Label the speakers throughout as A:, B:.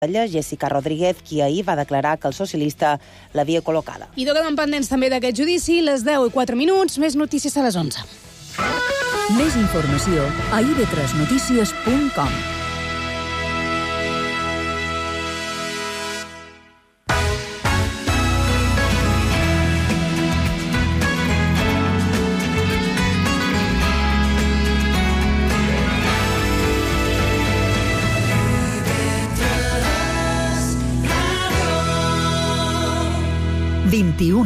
A: Jessica Rodríguez, qui ahir va declarar que el socialista l'havia col·locada.
B: I toquem pendents també d'aquest judici, les 10:04, més notícies a les 11.
C: Més informació a ib3notícies.com.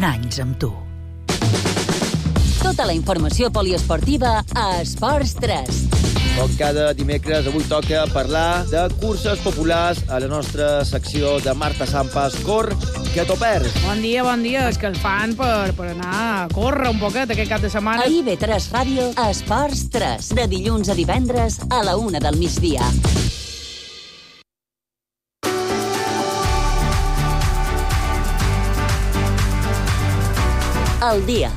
C: anys amb tu.
D: Tota la informació poliesportiva a Esports 3.
E: Com cada dimecres, avui toca parlar de curses populars a la nostra secció de Marta Sampas, Cor, que t'ho perds.
B: Bon dia, és que el fan per anar a córrer un poquet aquest cap de setmana.
D: A IB3 Ràdio, Esports 3, de dilluns a divendres a la 1 del migdia. El dia,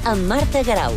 D: amb Marta Garau.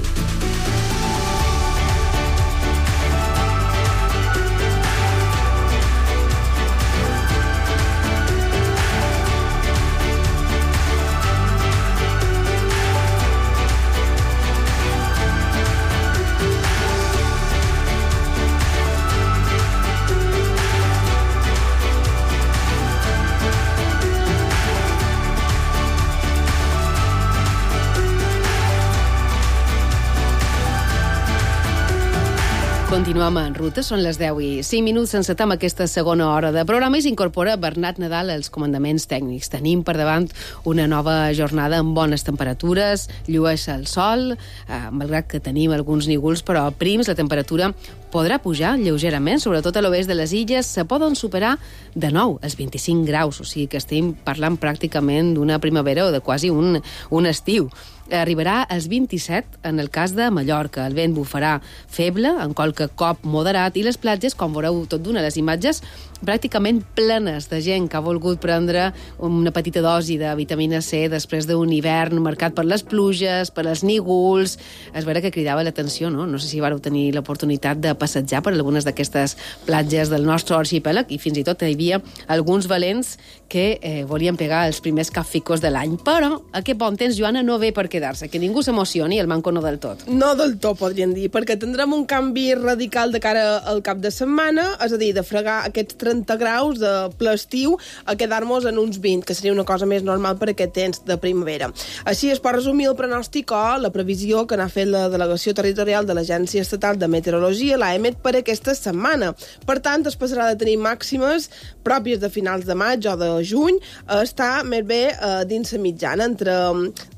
F: Continuem en ruta, són les 10:05, encetem aquesta segona hora de programa i s'incorpora Bernat Nadal als comandaments tècnics. Tenim per davant una nova jornada amb bones temperatures, llueix el sol, malgrat que tenim alguns nígols, però prims la temperatura podrà pujar lleugerament, sobretot a l'oest de les illes, se poden superar de nou els 25 graus, o sigui que estem parlant pràcticament d'una primavera o de quasi un estiu. Arribarà als 27 en el cas de Mallorca. El vent bufarà feble, en qualque cop moderat, i les platges, com veureu tot d'una, les imatges pràcticament plenes de gent que ha volgut prendre una petita dosi de vitamina C després d'un hivern marcat per les pluges, per els nígols. És vera que cridava l'atenció, no? No sé si vareu tenir l'oportunitat de passejar per algunes d'aquestes platges del nostre arxipèlag, i fins i tot hi havia alguns valents que volien pegar els primers capficos de l'any. Però aquest bon temps, Joana, no ve per quedar-se, que ningú s'emocioni, el manco no del tot.
G: No del tot, podríem dir, perquè tindrem un canvi radical de cara al cap de setmana, és a dir, de fregar aquests 30 graus de ple estiu a quedar-nos en uns 20, que seria una cosa més normal per aquest temps de primavera. Així es pot resumir el pronòstic o la previsió que n'ha fet la delegació territorial de l'Agència Estatal de Meteorologia, l'AEMET, per aquesta setmana. Per tant, es passarà de tenir màximes pròpies de finals de maig o de juny a estar més bé dins la mitjana, entre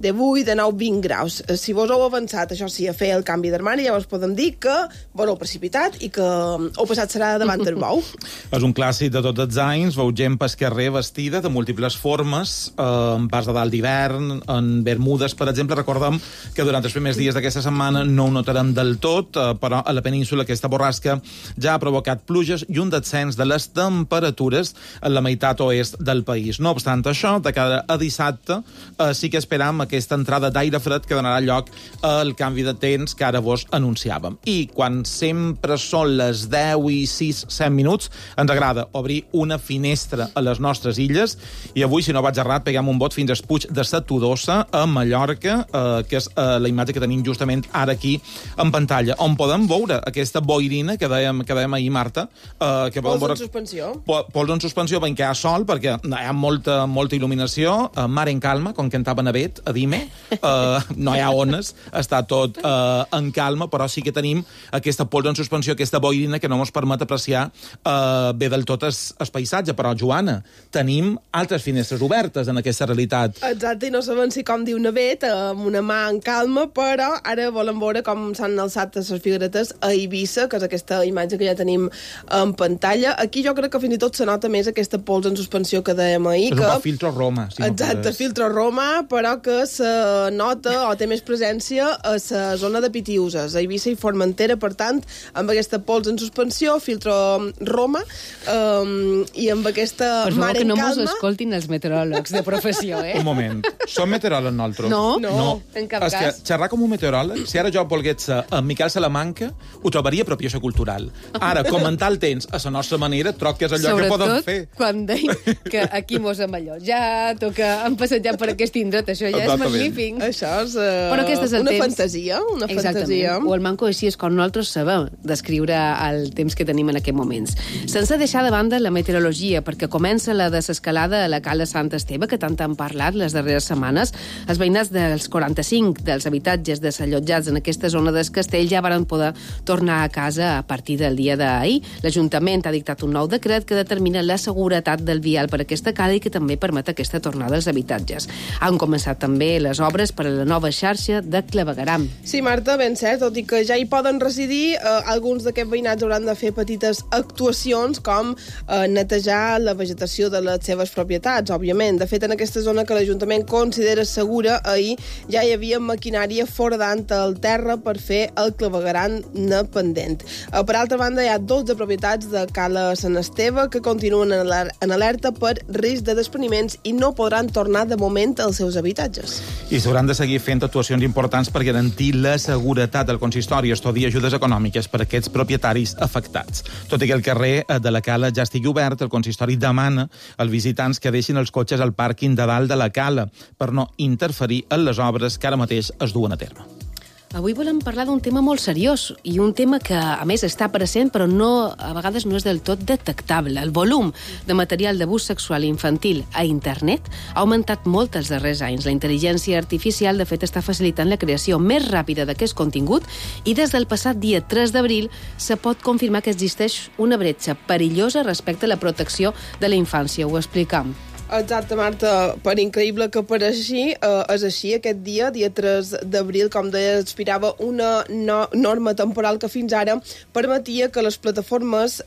G: 18 i de 20 graus. Si vos heu avançat, això sí, a fer el canvi d'armari, llavors podem dir que vos heu precipitat i que heu passat serà davant del bou.
H: És un clàssic de tots els anys, veu gent pel carrer vestida de múltiples formes, en pas de dalt d'hivern, en bermudes, per exemple. Recordem que durant els primers dies d'aquesta setmana no ho notarem del tot, però a la península aquesta borrasca ja ha provocat pluges i un descens de les temperatures en la meitat oest del país. No obstant això, de cara a dissabte, sí que esperam aquesta entrada d'aire fred que donarà lloc al canvi de temps que ara vos anunciàvem. I quan sempre són les 10:06 ens agrada obrir una finestra a les nostres illes, i avui, si no vaig errat, peguem un bot fins al Puig de sa Todosa, a Mallorca, que és la imatge que tenim justament ara aquí en pantalla, on podem veure aquesta boirina que dèiem ahir, Marta.
G: Pols en suspensió.
H: Pols en suspensió, ben que hi ha sol, perquè hi ha molta il·luminació, mar en calma, com cantava Navet, a Dime, no hi ha ones, està tot en calma, però sí que tenim aquesta pols en suspensió, aquesta boirina que no ens permet apreciar bé del tot el paisatge. Però, Joana, tenim altres finestres obertes en aquesta realitat.
G: Exacte, i no sabem si, com diu Navet, amb una mà en calma, però ara volem veure com s'han alçat les figuretes a Eivissa, que és aquesta imatge que ja tenim en pantalla. Aquí jo crec que fins i tot se nota més aquesta pols en suspensió que dèiem ahir.
H: És un poc filtro Roma. Si
G: exacte, filtro Roma, però que se nota o té més presència a la zona de Pitiuses, a Eivissa i Formentera, per tant, amb aquesta pols en suspensió, filtro Roma, i amb aquesta mar en calma...
F: Per favor, que no mos escoltin els meteoròlegs de professió,
H: Un moment. Som meteoròlegs nosaltres?
F: No, en cap
H: És
F: cas.
H: que xerrar com un meteoròleg, si ara jo volgués ser en Miquel Salamanca, ho trobaria apropiació cultural. Ara, comentar el temps a la nostra manera, troc que és allò que podem fer.
F: Sobretot quan deim que aquí mos hem allò. Ja toca passejat per aquest indret, això ja és
H: Exactament.
F: magnífic.
G: Això és
F: Però aquest és el
G: una
F: temps.
G: fantasia, una
F: Exactament.
G: fantasia.
F: O el manco així és com nosaltres sabem descriure el temps que tenim en aquests moments. Sense deixar de banda la meteorologia, perquè comença la desescalada a la cala Sant Esteve, que tant han parlat les darreres setmanes. Els veïnats dels 45 dels habitatges desallotjats en aquesta zona del castell ja varen poder tornar a casa a partir del dia d'ahir. L'Ajuntament ha dictat un nou decret que determina la seguretat del vial per aquesta cala i que també permet aquesta tornada als habitatges. Han començat també les obres per a la nova xarxa de clavegueram.
G: Sí, Marta, ben cert, tot i que ja hi poden residir, alguns d'aquests veïnats hauran de fer petites actuacions com netejar la vegetació de les seves propietats, òbviament. De fet, en aquesta zona que l'Ajuntament considera segura, ahir ja hi havia maquinària foradant el terra per fer el clavegueram pendent. Per altra banda, hi ha 12 propietats de Cala Sant Esteve que continuen en alerta per risc de despreniments i no podran tornar de moment als seus habitatges.
H: I s'hauran de seguir fent actuacions importants per garantir la seguretat del consistori, estudiar ajudes econòmiques per a aquests propietaris afectats. Tot i que el carrer de la cala ja estigui obert, el consistori demana als visitants que deixin els cotxes al pàrquing de dalt de la cala per no interferir en les obres que ara mateix es duen a terme.
F: Avui volem parlar d'un tema molt seriós i un tema que, a més, està present però a vegades no és del tot detectable. El volum de material d'abús sexual infantil a internet ha augmentat molt els darrers anys. La intel·ligència artificial, de fet, està facilitant la creació més ràpida d'aquest contingut i des del passat dia 3 d'abril se pot confirmar que existeix una bretxa perillosa respecte a la protecció de la infància. Ho explicam.
G: Exacte, Marta. Per increïble que pareixi, és així. Aquest dia 3 d'abril, com deia, expirava una norma temporal que fins ara permetia que les plataformes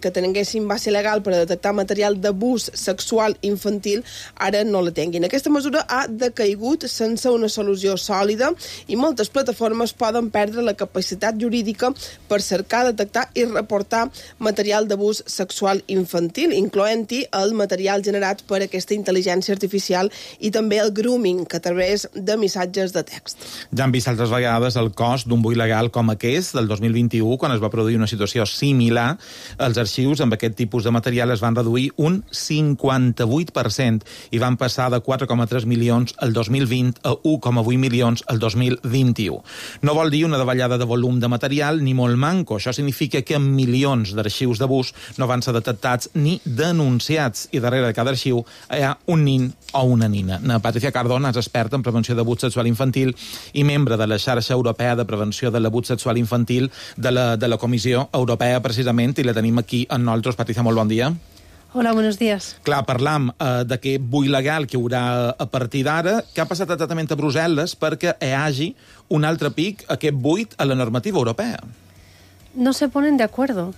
G: que tinguessin base legal per a detectar material d'abús sexual infantil ara no la tinguin. Aquesta mesura ha decaigut sense una solució sòlida i moltes plataformes poden perdre la capacitat jurídica per cercar, detectar i reportar material d'abús sexual infantil, incloent-hi el material generat per aquesta intel·ligència artificial i també el grooming, que a través de missatges de text.
H: Ja han vist altres vegades el cost d'un buit legal com aquest, del 2021, quan es va produir una situació similar. Els arxius amb aquest tipus de material es van reduir un 58% i van passar de 4,3 milions el 2020 a 1,8 milions el 2021. No vol dir una davallada de volum de material ni molt manco. Això significa que milions d'arxius d'abús no van ser detectats ni denunciats i darrere de cada arxiu hi ha un nin o una nina. Patricia Cardona és experta en prevenció d'abús sexual infantil i membre de la xarxa europea de prevenció de l'abús sexual infantil de la Comissió Europea, precisament, i la tenim aquí amb nosaltres. Patricia, molt bon dia.
I: Hola, buenos días.
H: Clar, parlam d'aquest buit legal que hi haurà a partir d'ara. Què ha passat exactament a Brussel·les perquè hi hagi un altre pic, aquest buit, a la normativa europea?
I: No se ponen de acuerdo.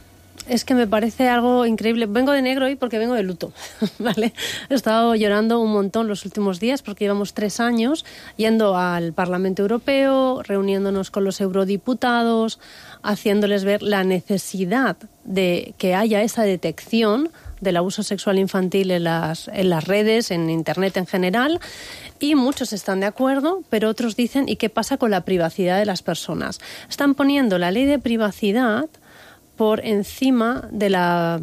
I: Es que me parece algo increíble. Vengo de negro hoy porque vengo de luto, ¿vale? He estado llorando un montón los últimos días porque llevamos 3 años yendo al Parlamento Europeo, reuniéndonos con los eurodiputados, haciéndoles ver la necesidad de que haya esa detección del abuso sexual infantil en las redes, en Internet en general, y muchos están de acuerdo, pero otros dicen, ¿y qué pasa con la privacidad de las personas? Están poniendo la ley de privacidad por encima de la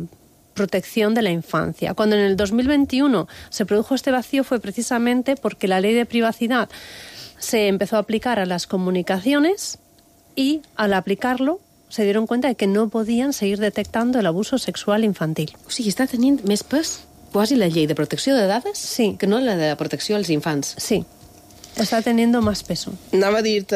I: protección de la infancia. Cuando en el 2021 se produjo este vacío fue precisamente porque la ley de privacidad se empezó a aplicar a las comunicaciones y al aplicarlo se dieron cuenta de que no podían seguir detectando el abuso sexual infantil.
F: O sigui, està tenint més pes quasi la llei de protecció de dades
I: sí,
F: que no la de protecció als infants.
I: Sí. Está teniendo más peso.
G: Anava a dir-te,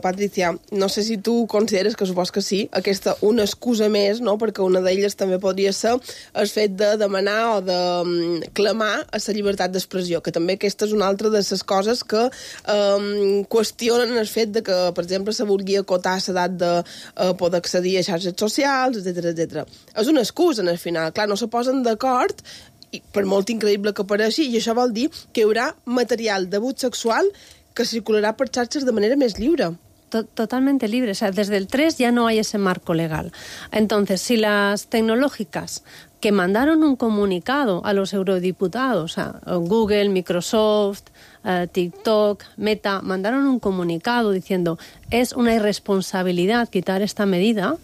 G: Patricia, no sé si tu consideres que supos que sí, aquesta una excusa més, no? Perquè una d'elles també podria ser el fet de demanar o de clamar a la llibertat d'expressió, que també aquesta és una altra de les coses que qüestionen el fet de que, per exemple, se vulgui acotar l'edat de poder accedir a xarxes socials, etc. És una excusa, al final. Clar, no se posen d'acord i per molt increïble que pareixi, i això vol dir que hi haurà material d'abús sexual que circularà per xarxes de manera més lliure.
I: Totalmente libre. O sea, desde el 3 ya no hay ese marco legal. Entonces, si las tecnológicas que mandaron un comunicado a los eurodiputados, a Google, Microsoft, TikTok, Meta, mandaron un comunicado diciendo es una irresponsabilidad quitar esta medida.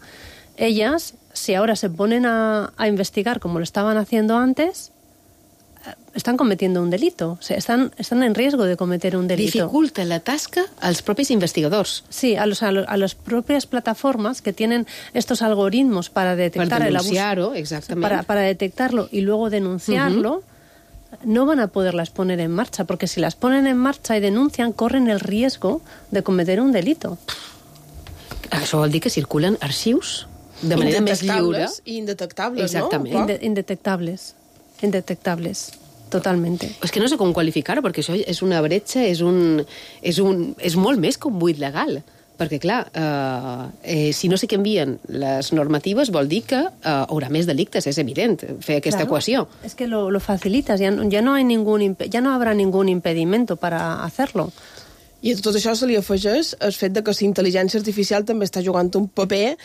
I: Ellas, si ahora se ponen a investigar como lo estaban haciendo antes, están cometiendo un delito. O sea, están en riesgo de cometer un delito.
F: Dificulta la tasca als propis investigadors.
I: Sí, a las propias plataformas que tienen estos algoritmos para detectar el abuso.
F: Exactamente.
I: Para detectarlo y luego denunciarlo, no van a poderlas poner en marcha, porque si las ponen en marcha y denuncian, corren el riesgo de cometer un delito.
F: Això vol dir que circulen arxius de manera més lliure.
G: I indetectables,
F: exactament.
G: no?
I: Indetectables, totalmente.
F: És que no sé com qualificar-ho, perquè això és una bretxa, és molt més que un buit legal. Perquè, clar, si no se canvien les normatives vol dir que haurà més delictes, és evident, fer aquesta equació.
I: Es que lo facilitas, ya no habrá ningún impedimento para hacerlo.
G: I a tot això se li afegeix el fet de que la intel·ligència artificial també està jugant un paper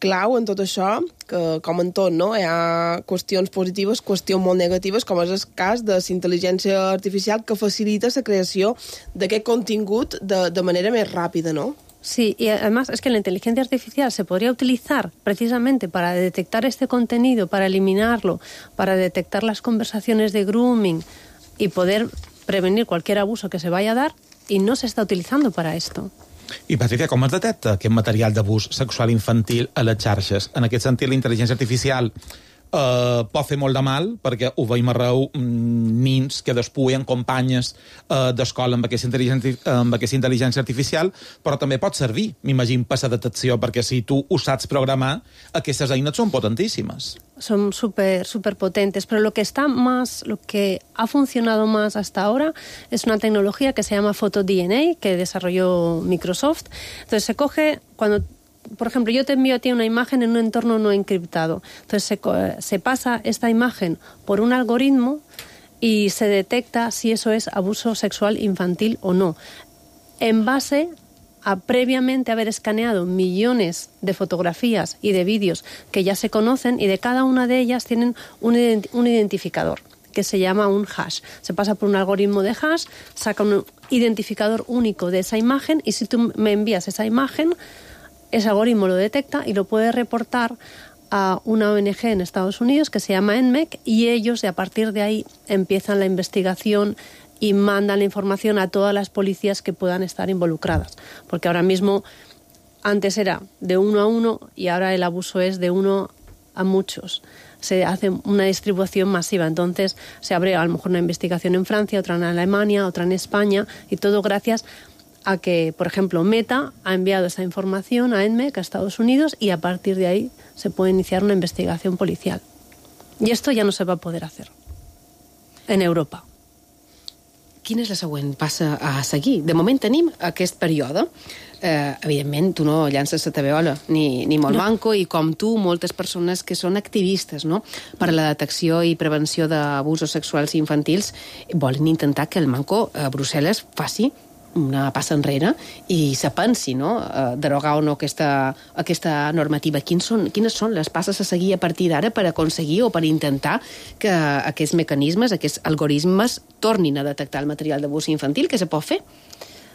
G: clau en tot això, que, com en tot, no? Hi ha qüestions positives, qüestions molt negatives, com és el cas de la intel·ligència artificial que facilita la creació d'aquest contingut de manera més ràpida, no?
I: Sí, y además es que la inteligencia artificial se podría utilizar precisamente para detectar este contenido, para eliminarlo, para detectar las conversaciones de grooming y poder prevenir cualquier abuso que se vaya a dar, i no s'està utilitzant per a esto.
H: I, Patricia, com es detecta aquest material d'abús sexual infantil a les xarxes? En aquest sentit, la intel·ligència artificial pot fer molt de mal, perquè ho veiem arreu, nins que despuien companyes d'escola amb aquesta intel·ligència artificial, però també pot servir, m'imagino, per la detecció, perquè si tu ho saps programar, aquestes eines són potentíssimes.
I: Son súper potentes, pero lo que ha funcionado más hasta ahora es una tecnología que se llama PhotoDNA, que desarrolló Microsoft. Entonces se coge, por ejemplo, yo te envío a ti una imagen en un entorno no encriptado. Entonces se pasa esta imagen por un algoritmo y se detecta si eso es abuso sexual infantil o no, en base a previamente haber escaneado millones de fotografías y de vídeos que ya se conocen, y de cada una de ellas tienen un identificador que se llama un hash. Se pasa por un algoritmo de hash, saca un identificador único de esa imagen, y si tú me envías esa imagen, ese algoritmo lo detecta y lo puede reportar a una ONG en Estados Unidos que se llama NMEC, y ellos, a partir de ahí, empiezan la investigación y mandan la información a todas las policías que puedan estar involucradas. Porque ahora mismo, antes era de 1 a 1 y ahora el abuso es de 1 a muchos. Se hace una distribución masiva. Entonces se abre a lo mejor una investigación en Francia, otra en Alemania, otra en España, y todo gracias a que, por ejemplo, Meta ha enviado esa información a NMEC, a Estados Unidos, y a partir de ahí se puede iniciar una investigación policial. Y esto ya no se va a poder hacer en Europa.
F: Quina és la següent passa a seguir? De moment tenim aquest període. Evidentment, tu no llances la tabeola, ni molt manco, i com tu, moltes persones que són activistes, no?, per a la detecció i prevenció d'abusos sexuals infantils volen intentar que el manco a Brussel·les faci una passa enrere i se pensi, no?, derogar o no aquesta normativa. Quines són les passes a seguir a partir d'ara per aconseguir o per intentar que aquests mecanismes, aquests algoritmes tornin a detectar el material d'abús infantil? Què se pot fer?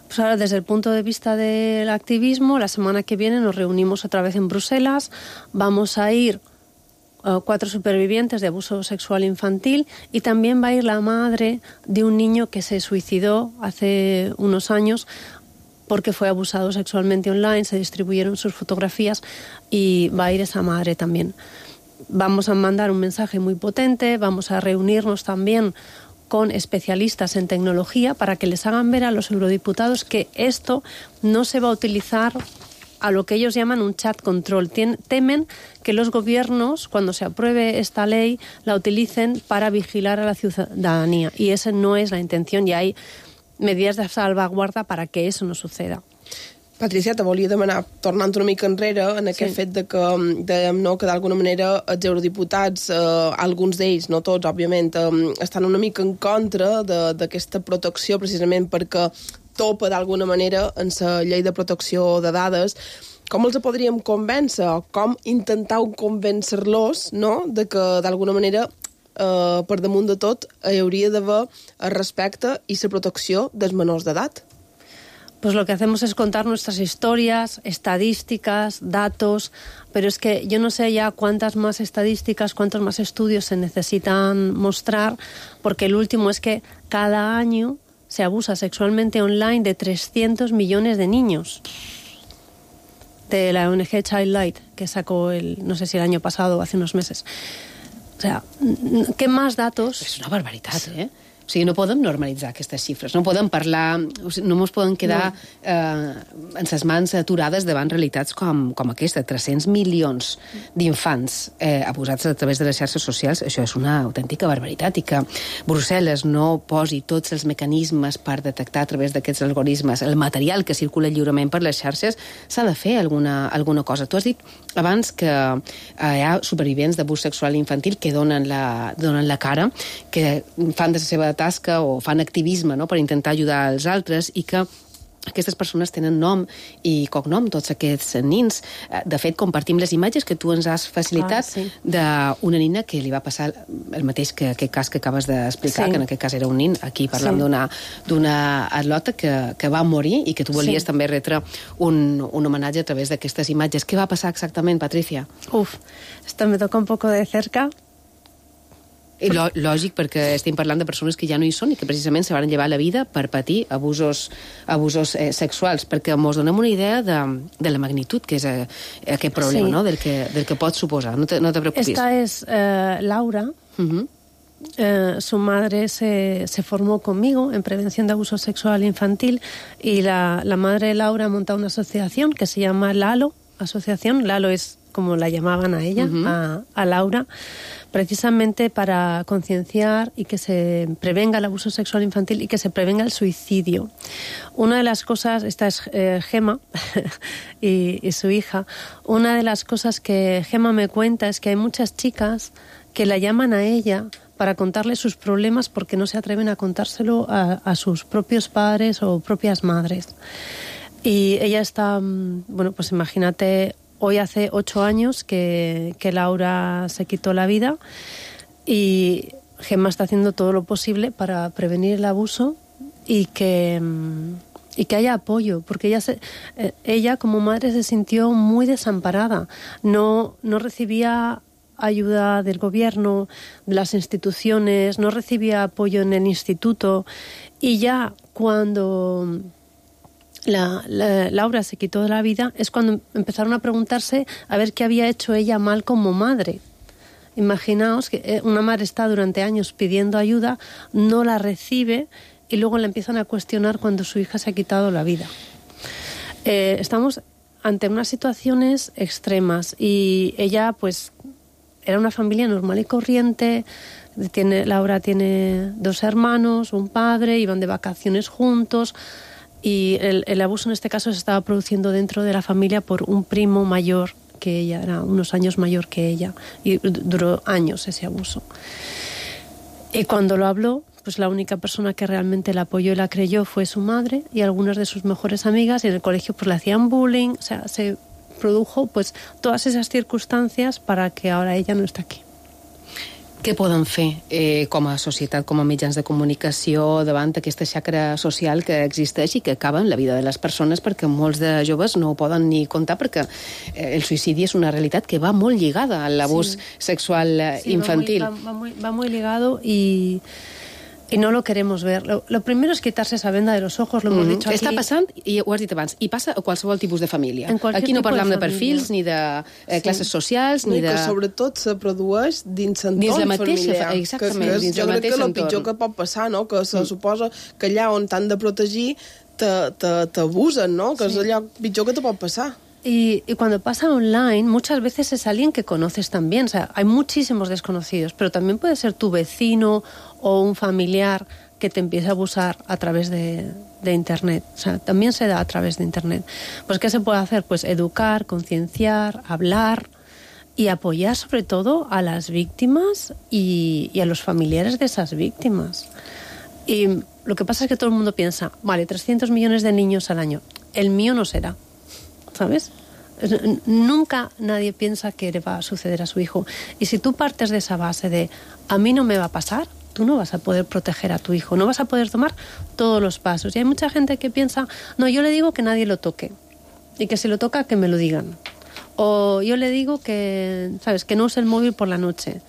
I: Pues ahora, desde el punto de vista del activismo, la semana que viene nos reunimos otra vez en Bruselas. Vamos a ir 4 supervivientes de abuso sexual infantil, y también va a ir la madre de un niño que se suicidó hace unos años porque fue abusado sexualmente online, se distribuyeron sus fotografías, y va a ir esa madre también. Vamos a mandar un mensaje muy potente, vamos a reunirnos también con especialistas en tecnología para que les hagan ver a los eurodiputados que esto no se va a utilizar a lo que ellos llaman un chat control. Temen que los gobiernos, cuando se apruebe esta ley, la utilicen para vigilar a la ciudadanía. Y esa no es la intención, y hay medidas de salvaguarda para que eso no suceda.
G: Patricia, te volia demanar, tornant una mica enrere, en aquest fet de que, dèiem, no, que d'alguna manera els eurodiputats, alguns d'ells, no tots, òbviament, estan una mica en contra d'aquesta protecció, precisament perquè topa d'alguna manera en la llei de protecció de dades. com els podríem convèncer o com intentar convèncer-los, no?, de que d'alguna manera per damunt de tot hi hauria d'haver el respecte i la protecció dels menors d'edat.
I: Pues lo que hacemos es contar nuestras historias, estadísticas, datos, pero es que yo no sé ya cuántas más estadísticas, cuántos más estudios se necesitan mostrar, porque el último es que cada año se abusa sexualmente online de 300 millones de niños. De la ONG Childlight, que sacó no sé si el año pasado o hace unos meses. O sea, ¿qué más datos?
F: És una barbaritat, eh? O sigui, no podem normalitzar aquestes xifres, no podem parlar, o sigui, no ens podem quedar en ses mans aturades davant realitats com aquesta. 300 milions d'infants abusats a través de les xarxes socials, això és una autèntica barbaritat, i que Brussel·les no posi tots els mecanismes per detectar a través d'aquests algoritmes el material que circula lliurement per les xarxes, s'ha de fer alguna cosa. Tu has dit abans que hi ha supervivents d'abús sexual infantil que donen la cara, que fan de la seva tasca o fan activisme, no?, per intentar ajudar els altres, i que aquestes persones tenen nom i cognom, tots aquests nins. De fet, compartim les imatges que tu ens has facilitat d'una nina que li va passar el mateix que aquest cas que acabes d'explicar, que en aquest cas era un nin. Aquí parlem d'una atleta que va morir i que tu volies també retre un homenatge a través d'aquestes imatges. Què va passar exactament, Patricia?
I: Esto me toca un poco de cerca.
F: Lògic, perquè estem parlant de persones que ja no hi són i que precisament se van llevar la vida per patir abusos sexuals, perquè ens donem una idea de la magnitud que és aquest problema, no?, del que pot suposar. No te preocupis.
I: Esta es Laura. Su madre se formó conmigo en prevención de abuso sexual infantil, y la madre de Laura ha montado una asociación que se llama Lalo Asociación. Lalo es como la llamaban a ella, a Laura, precisamente para concienciar y que se prevenga el abuso sexual infantil y que se prevenga el suicidio. Una de las cosas, esta es Gema y su hija, una de las cosas que Gema me cuenta es que hay muchas chicas que la llaman a ella para contarle sus problemas porque no se atreven a contárselo a sus propios padres o propias madres. Y ella está, bueno, pues imagínate, hoy hace 8 años que Laura se quitó la vida, y Gemma está haciendo todo lo posible para prevenir el abuso y que haya apoyo, porque ella como madre se sintió muy desamparada. No recibía ayuda del gobierno, de las instituciones, no recibía apoyo en el instituto, y ya cuando Laura se quitó de la vida es cuando empezaron a preguntarse a ver qué había hecho ella mal como madre. Imaginaos que una madre está durante años pidiendo ayuda, no la recibe, y luego la empiezan a cuestionar cuando su hija se ha quitado la vida. Estamos ante unas situaciones extremas, y ella pues era una familia normal y corriente. Laura tiene 2 hermanos, un padre, iban de vacaciones juntos. Y el abuso en este caso se estaba produciendo dentro de la familia por un primo mayor que ella, era unos años mayor que ella, y duró años ese abuso. Y cuando lo habló, pues la única persona que realmente la apoyó y la creyó fue su madre y algunas de sus mejores amigas, y en el colegio pues le hacían bullying. O sea, se produjo pues todas esas circunstancias para que ahora ella no esté aquí.
F: Què poden fer com a societat, com a mitjans de comunicació, davant aquesta xacra social que existeix i que acaba en la vida de les persones, perquè molts de joves no ho poden ni contar, perquè el suïcidi és una realitat que va molt lligada a l'abús sexual infantil.
I: Va muy ligado y no lo queremos ver. Lo primero es quitarse esa venda de los ojos, lo hemos dicho aquí.
F: Està passant, i ho has dit abans, i passa a qualsevol tipus de família. Aquí no parlam de perfils, ni de classes socials, ni de...
G: Que sobretot se produeix dins l'entorn familiar.
F: Exactament, dins el mateix entorn. Jo crec
G: que el pitjor que pot passar, no?, que se suposa que allà on t'han de protegir t'abusen, no?, que és allò pitjor que te pot passar.
I: Y cuando pasa online, muchas veces es alguien que conoces también. O sea, hay muchísimos desconocidos, pero también puede ser tu vecino o un familiar que te empiece a abusar a través de Internet. O sea, también se da a través de Internet. Pues, ¿qué se puede hacer? Pues educar, concienciar, hablar y apoyar sobre todo a las víctimas y a los familiares de esas víctimas. Y lo que pasa es que todo el mundo piensa, vale, 300 millones de niños al año, el mío no será. ¿Sabes? Nunca nadie piensa que le va a suceder a su hijo. Y si tú partes de esa base de a mí no me va a pasar, tú no vas a poder proteger a tu hijo, no vas a poder tomar todos los pasos. Y hay mucha gente que piensa, no, yo le digo que nadie lo toque y que si lo toca que me lo digan. O yo le digo que, ¿sabes?, que no use el móvil por la noche.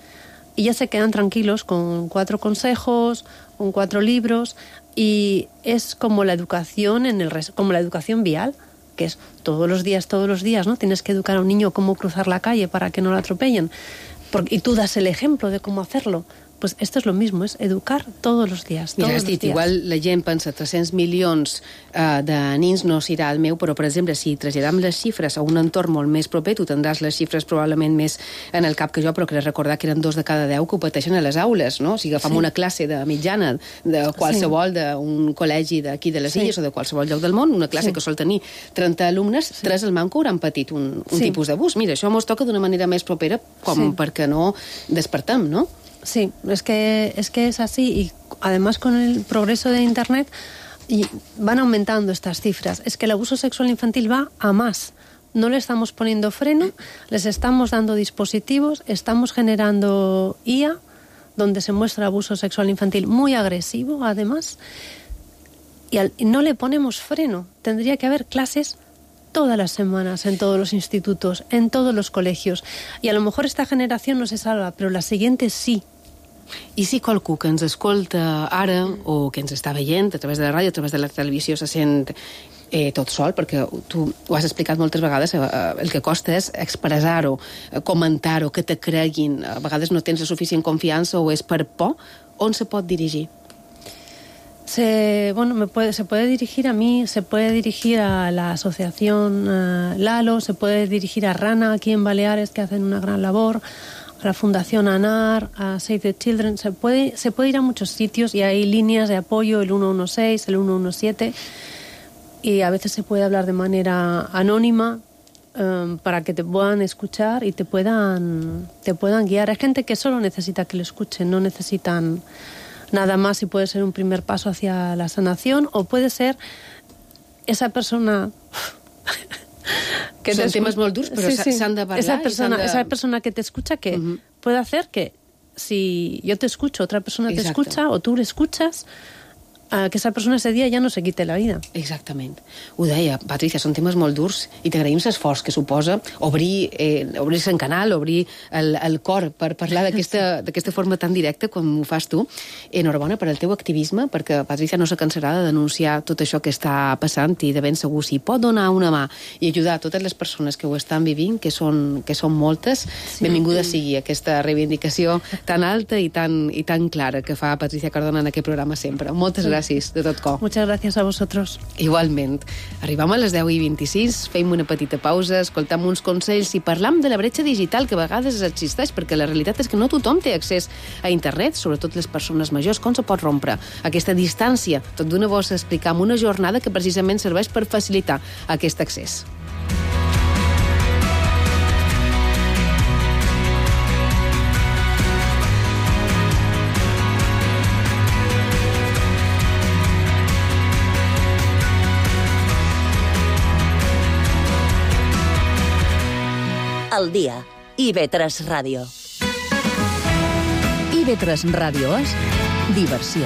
I: Y ya se quedan tranquilos con 4 consejos, con 4 libros, y es como la educación como la educación vial, que es todos los días, ¿no? Tienes que educar a un niño cómo cruzar la calle para que no lo atropellen. Y tú das el ejemplo de cómo hacerlo. Pues esto és lo mismo, és educar tots els dies.
F: Mira, has dit, igual la gent pensa 300 milions de nins no s'irà al meu, però, per exemple, si traslladam les xifres a un entorn molt més proper, tu tindràs les xifres probablement més en el cap que jo, però crec recordar que eren 2 de cada 10 que ho pateixen a les aules, no? Si agafam una classe de mitjana de qualsevol, d'un col·legi d'aquí de les Illes o de qualsevol lloc del món, una classe que sol tenir 30 alumnes, 3 al manco hauran patit un tipus d'abús. Mira, això mos toca d'una manera més propera com perquè no despertem, no?
I: Sí, es que es así y además con el progreso de Internet van aumentando estas cifras. Es que el abuso sexual infantil va a más. No le estamos poniendo freno, les estamos dando dispositivos, estamos generando IA donde se muestra abuso sexual infantil muy agresivo además y no le ponemos freno. Tendría que haber clases todas las semanas en todos los institutos, en todos los colegios. Y a lo mejor esta generación no se salva, pero la siguiente sí.
F: I si qualcú que ens escolta ara o que ens està veient a través de la ràdio, a través de la televisió se sent tot sol, perquè tu ho has explicat moltes vegades, el que costa és expressar-ho, comentar-ho, que te creguin. A vegades no tens la suficient confiança o és per por. On se pot dirigir?
I: Se puede dirigir a mí, se puede dirigir a la asociación Lalo, se puede dirigir a Rana aquí en Baleares, que hacen una gran labor, a la Fundación ANAR, a Save the Children. Se puede ir a muchos sitios y hay líneas de apoyo, el 116, el 117, y a veces se puede hablar de manera anónima para que te puedan escuchar y te puedan guiar. Hay gente que solo necesita que lo escuchen, no necesitan nada más, y puede ser un primer paso hacia la sanación o puede ser esa persona
F: que són temes molt durs, però s'han de parlar.
I: Esa persona que te escucha, que puede hacer que si yo te escucho, otra persona te escucha o tú le escuchas, que esa persona ese día ja no se quite la vida.
F: Exactament. Ho deia, Patricia, són temes molt durs i t'agraïm l'esforç que suposa obrir-se en canal, obrir el cor per parlar d'aquesta forma tan directa com ho fas tu. Enhorabona per al teu activisme, perquè Patricia no se cansarà de denunciar tot això que està passant i de ben segur si pot donar una mà i ajudar a totes les persones que ho estan vivint, que són moltes, benvinguda sigui aquesta reivindicació tan alta i tan clara que fa Patricia Cardona en aquest programa sempre. Moltes gràcies de tot cor.
I: Muchas gracias a vosotros.
F: Igualment. Arribam a les 10:26, fem una petita pausa, escoltam uns consells i parlam de la bretxa digital que a vegades existeix, perquè la realitat és que no tothom té accés a internet, sobretot les persones majors. Com se pot rompre aquesta distància? Tot d'una bossa explicam una jornada que precisament serveix per facilitar aquest accés.
D: Al dia. IB3 Ràdio.
C: IB3 Ràdio és diversió.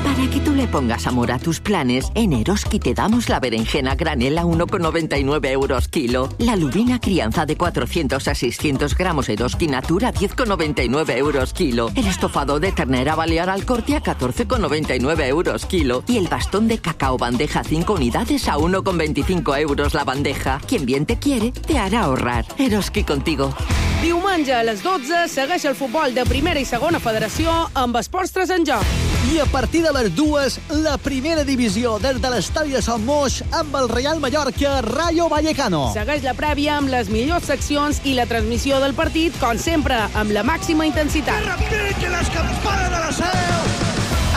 J: Para que tú le pongas amor a tus planes, en Eroski te damos la berenjena granel a 1,99 euros kilo, la lubina crianza de 400 a 600 gramos Eroski Natura a 10,99 euros kilo, el estofado de ternera balear al corte a 14,99 euros kilo y el bastón de cacao bandeja 5 unidades a 1,25 euros la bandeja. Quien bien te quiere, te hará ahorrar. Eroski contigo.
B: Diumenge a les 12 segueix el futbol de primera i segona federació amb Esports 3 en joc.
K: I a partir de les 2, la primera divisió des de l'estadi de Sant Moix amb el Real Mallorca Rayo Vallecano.
B: Segueix la prèvia amb les millors seccions i la transmissió del partit, com sempre, amb la màxima intensitat.
K: Que repique les campanes de la seu!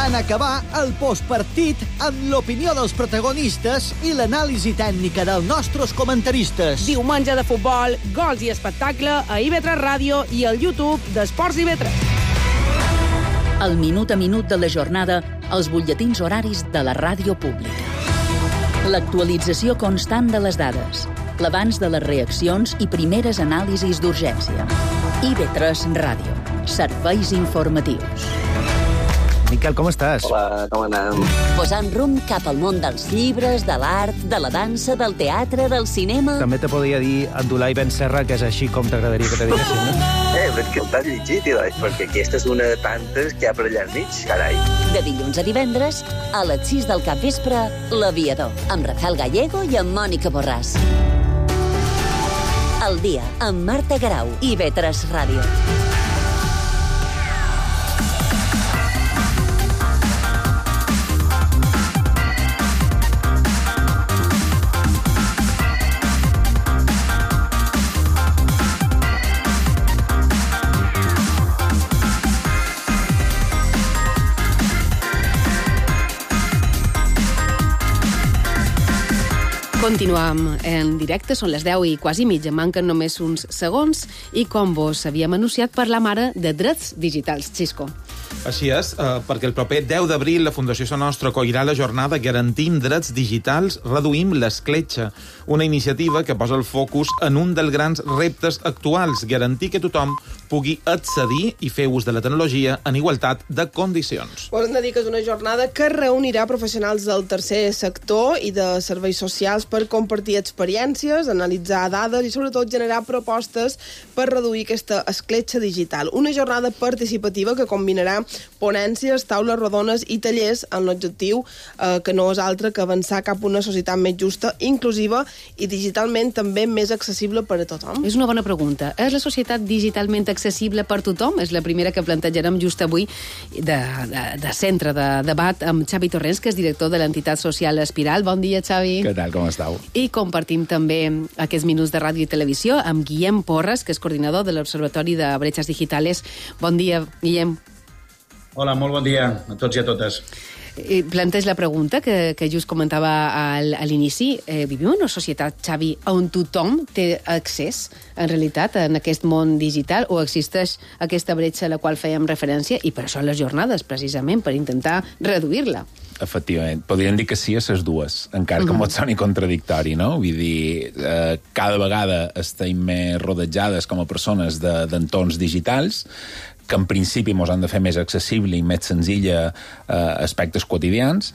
K: En acabar el postpartit amb l'opinió dels protagonistes i l'anàlisi tècnica dels nostres comentaristes.
B: Diumenge de futbol, gols i espectacle a IB3 Ràdio i al YouTube d'Esports IB3.
C: El minut a minut de la jornada els butlletins horaris de la ràdio pública. L'actualització constant de les dades, l'abans de les reaccions i primeres anàlisis d'urgència. IB3 Ràdio. Serveis informatius.
L: Miquel, com estàs?
M: Hola, com anem?
D: Posant rumb cap al món dels llibres, de l'art, de la dansa, del teatre, del cinema...
L: També te podria dir Abdulai Ben Serra, que és així com t'agradaria que te diguessin, no?
M: Perquè el t'has llegit, perquè aquesta és una de tantes que hi ha per allà enmig, carai.
D: De dilluns a divendres, a les 6 del capvespre, L'Aviador, amb Rafael Gallego i amb Mònica Borràs. El dia, amb Marta Garau, IB3 Ràdio.
F: Continuam en directe, són les 10 i quasi mitja, manquen només uns segons i com vos havíem anunciat parlam ara de drets digitals. Xisco.
H: Així és, perquè el proper 10 d'abril la Fundació Sa Nostra acollirà la jornada Garantim drets digitals, reduïm l'escletxa, una iniciativa que posa el focus en un dels grans reptes actuals, garantir que tothom pugui accedir i fer ús de la tecnologia en igualtat de condicions.
G: Us hem de dir que és una jornada que reunirà professionals del tercer sector i de serveis socials per compartir experiències, analitzar dades i sobretot generar propostes per reduir aquesta escletxa digital. Una jornada participativa que combinarà ponències, taules rodones i tallers amb l'objectiu que no és altre que avançar cap a una societat més justa, inclusiva i digitalment també més accessible per a tothom.
F: És una bona pregunta. És la societat digitalment accessible per tothom? És la primera que plantejarem just avui de centre de debat amb Xavi Torrents, que és director de l'entitat social Espiral. Bon dia, Xavi.
N: Què tal, com estàu?
F: I compartim també aquests minuts de ràdio i televisió amb Guillem Porras, que és coordinador de l'Observatori de Bretxes Digitales. Bon dia, Guillem.
O: Hola, molt bon dia a tots i a totes.
F: Planteig la pregunta que just comentava a l'inici. Vivim en una societat, Xavi, on tothom té accés, en realitat, en aquest món digital, o existeix aquesta bretxa a la qual fèiem referència, i per això les jornades, precisament, per intentar reduir-la?
N: Efectivament. Podríem dir que sí a les dues, encara que pot soni contradictori, no? Vull dir, cada vegada estem més rodejades com a persones d'entorns digitals, que en principi ens han de fer més accessible i més senzilla aspectes quotidians,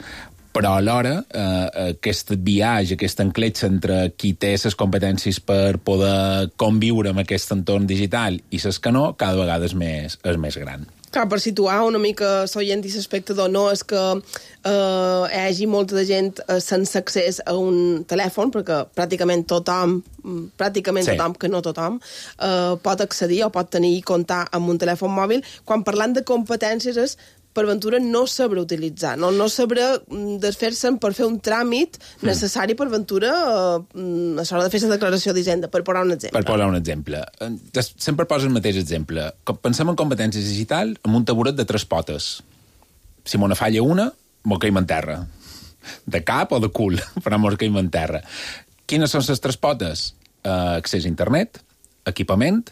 N: però alhora aquest viatge, aquesta encletxa entre qui té les competències per poder conviure amb aquest entorn digital i les que no, cada vegada és més gran.
G: Clar, per situar una mica l'oient i l'espectador, no és que hi hagi molta de gent sense accés a un telèfon, perquè pràcticament tothom, que no tothom, pot accedir o pot tenir i comptar amb un telèfon mòbil. Quan parlant de competències és per ventura no saber utilitzar, no saber desfer-se'n per fer un tràmit necessari per ventura a l'hora de fer la declaració d'Hisenda, per posar un exemple.
N: Per posar un exemple. Sempre poso el mateix exemple. Pensem en competències digital amb un taburet de 3 potes. Si m'ho falla una, m'ho caim en terra. De cap o de cul, però m'ho caim en terra. Quines són les 3 potes? Accés a internet, equipament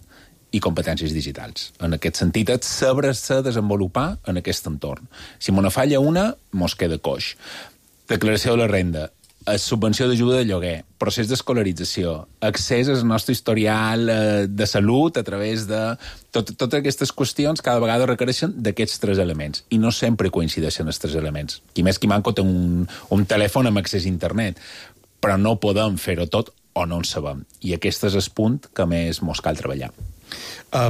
N: i competències digitals. En aquest sentit, és saber-se desenvolupar en aquest entorn. Si m'ho falla una, mos queda coix. Declaració de la renda, subvenció d'ajuda de lloguer, procés d'escolarització, accés al nostre historial de salut a través de... Totes aquestes qüestions cada vegada requereixen d'aquests 3 elements i no sempre coincideixen els 3 elements. Qui més qui manco té un telèfon amb accés a internet, però no podem fer-ho tot o no en sabem. I aquest és el punt que més mos cal treballar.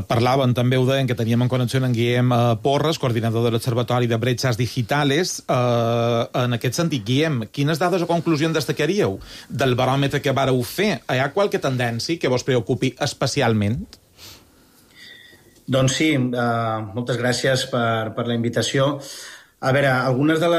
H: Parlaven, també ho deien, que teníem en connexió en Guillem Porras, coordinador de l'Observatori de Bretxes Digitales. En aquest sentit, Guillem, quines dades o conclusions destacaríeu del baròmetre que vareu fer? Hi ha qualque tendència que vos preocupi especialment?
O: Doncs sí, moltes gràcies per la invitació. A veure, algunes de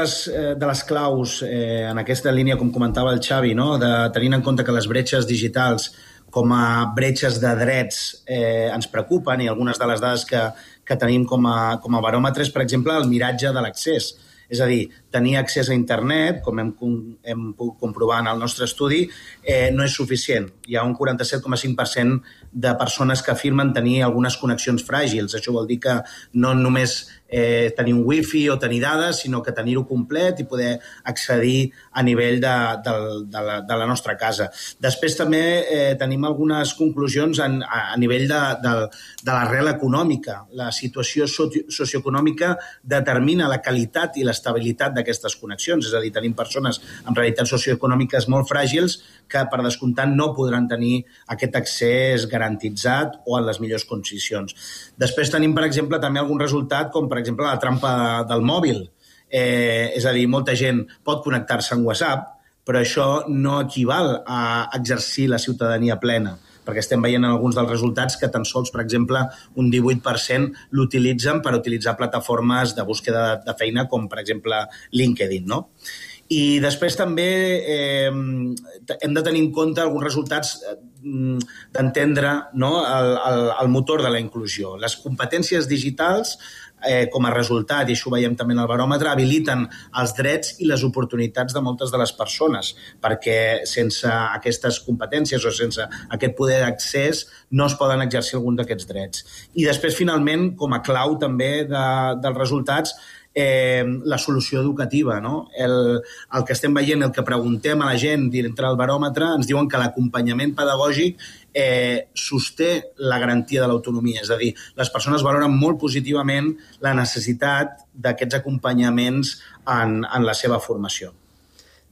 O: les claus en aquesta línia, com comentava el Xavi, no? De tenint en compte que les bretxes digitals com a bretxes de drets ens preocupen, i algunes de les dades que tenim com a baròmetres, per exemple, el miratge de l'accés. És a dir, tenir accés a internet, com hem pogut comprovar en el nostre estudi, no és suficient. Hi ha un 47,5% de persones que afirmen tenir algunes connexions fràgils. Això vol dir que no només tenir un wifi o tenir dades, sinó que tenir-ho complet i poder accedir a nivell de la nostra casa. Després també tenim algunes conclusions a nivell de l'arrel econòmica. La situació socioeconòmica determina la qualitat i l'estabilitat d'aquestes connexions. És a dir, tenim persones amb realitats socioeconòmiques molt fràgils que, per descomptat, no podran tenir aquest accés garantitzat o en les millors condicions. Després tenim, per exemple, també algun resultat, com, per exemple, la trampa del mòbil. És a dir, molta gent pot connectar-se en WhatsApp, però això no equival a exercir la ciutadania plena, perquè estem veient en alguns dels resultats que tan sols, per exemple, un 18% l'utilitzen per utilitzar plataformes de búsqueda de feina, com, per exemple, LinkedIn, no? I després també hem de tenir en compte alguns resultats d'entendre el motor de la inclusió. Les competències digitals, com a resultat, i això ho veiem també en el baròmetre, habiliten els drets i les oportunitats de moltes de les persones, perquè sense aquestes competències o sense aquest poder d'accés no es poden exercir algun d'aquests drets. I després, finalment, com a clau també dels resultats, la solució educativa, no? El que estem veient, el que preguntem a la gent dintre del baròmetre, ens diuen que l'acompanyament pedagògic sosté la garantia de l'autonomia. És a dir, les persones valoren molt positivament la necessitat d'aquests acompanyaments en la seva formació.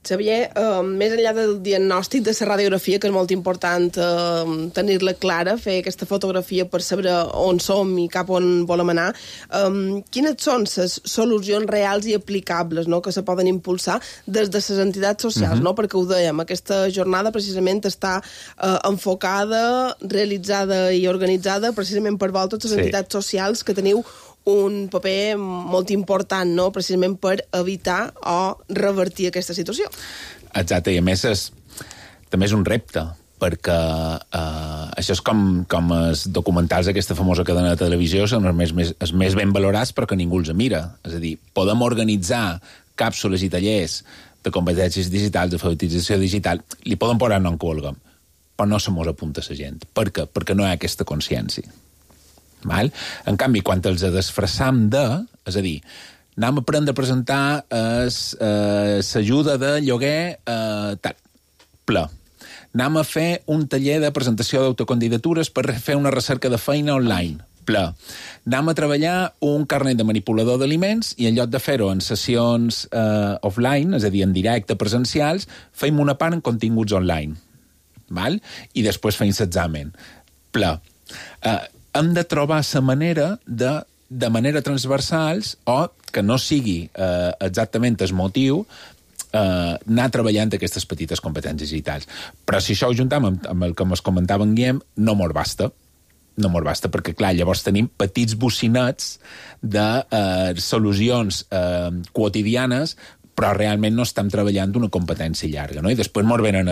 G: Xavier, més enllà del diagnòstic de la radiografia, que és molt important tenir-la clara, fer aquesta fotografia per saber on som i cap on volem anar, quines són les solucions reals i aplicables que se poden impulsar des de les entitats socials? Perquè ho dèiem, aquesta jornada precisament està enfocada, realitzada i organitzada precisament per vosaltres, les entitats socials, que teniu un paper molt important, precisament per evitar o revertir aquesta situació.
N: Exacte, i a més també és un repte, perquè això és com els documentals d'aquesta famosa cadena de televisió, són els més ben valorats però que ningú els mira. És a dir, podem organitzar càpsules i tallers de competències digitals, de alfabetització digital, li podem posar nom que vulguem, però no se mos apunta la gent. Per què? Perquè no hi ha aquesta consciència. Val? En canvi, quan els desfressam és a dir, anem a aprendre a presentar l'ajuda de lloguer ple. Anem a fer un taller de presentació d'autocandidatures per fer una recerca de feina online. Ple. Anem a treballar un carnet de manipulador d'aliments i en lloc de fer-ho en sessions offline, és a dir, en directe, presencials, fem una part en continguts online. Val? I després fem l'examen. Ple. Hem de trobar la manera de manera transversals o que no sigui exactament el motiu anar treballant aquestes petites competències digitals. Però si això ho juntam amb el que ens comentava en Guillem, no mos basta. No mos basta, perquè, clar, llavors tenim petits bocinets de solucions quotidianes, però realment no estem treballant una competència llarga, no? I després mos venen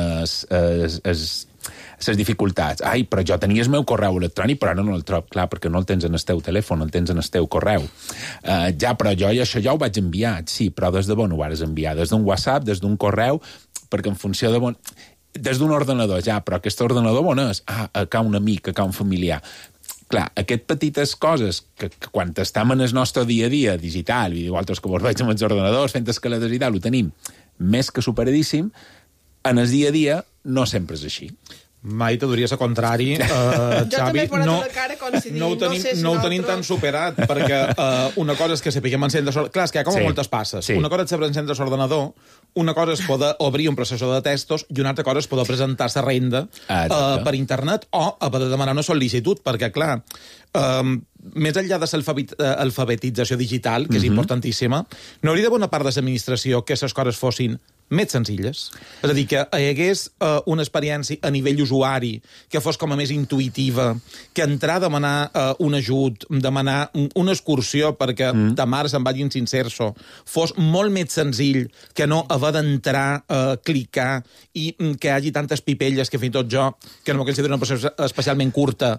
N: les dificultats. Ai, però jo tenia el meu correu electrònic, però ara no el trobo. Clar, perquè no el tens en el teu telèfon, el tens en el teu correu. Ja, però jo això ja ho vaig enviar. Sí, però des de on ho vas enviar? Des d'un WhatsApp, des d'un correu? Perquè en funció de on... Des d'un ordenador, ja, però aquest ordenador on és? A ca un amic, a ca un familiar. Clar, aquestes petites coses que quan estem en el nostre dia a dia digital, i vosaltres que vos veig amb els ordenadors fent escaletes i tal, ho tenim més que superadíssim, en el dia a dia no sempre és així.
H: Mai te diries el contrari, Xavi. No ho tenim tan superat, perquè una cosa és que sapiguem encendre... Clar, és que hi ha com moltes passes. Una cosa és saber encendre l'ordenador, una cosa és poder obrir un processor de textos i una altra cosa és poder presentar la renda per internet o poder demanar una sol·licitud, perquè, clar, més enllà de l'alfabetització digital, que és importantíssima, no hauria d'haver una part de l'administració que les coses fossin més senzilles. És a dir, que hi hagués una experiència a nivell usuari que fos com a més intuïtiva, que entrar a demanar un ajut, demanar una excursió perquè de mare se'n vagin sin cerso, fos molt més senzill que no haver d'entrar, clicar i que hi hagi tantes pipelles que fins i tot jo, que no m'ho considero una persona especialment curta,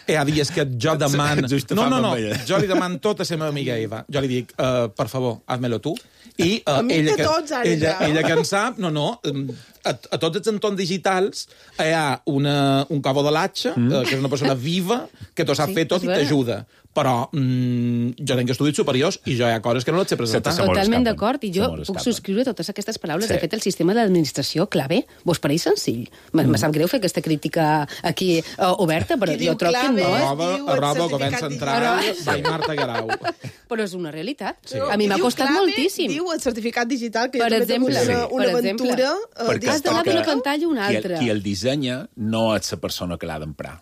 H: Hi ha dies que jo demano... No, jo li demano tot a la meva amiga Eva. Jo li dic, per favor, hazme-lo tu. I ella que en sap, a tots els entorns digitals hi ha un cabo de l'atxa, que és una persona viva, que t'ho sap fer tot i t'ajuda. Però jo tenc estudis superiors i jo hi ha coses que no les sé presentar.
F: Totalment d'acord, i jo puc subscriure totes aquestes paraules. De fet, el sistema de l'administració clave vos pareix senzill? Me sap greu fer aquesta crítica aquí oberta, però jo trobo que no.
H: Arroba, govern central, by Marta Guerau.
F: Però és una realitat. A mi m'ha costat moltíssim.
G: Diu el certificat digital, que
F: per exemple,
G: una aventura.
F: Has d'anar d'una pantalla a una altra.
N: Qui el dissenya no és la persona que l'ha d'emprar.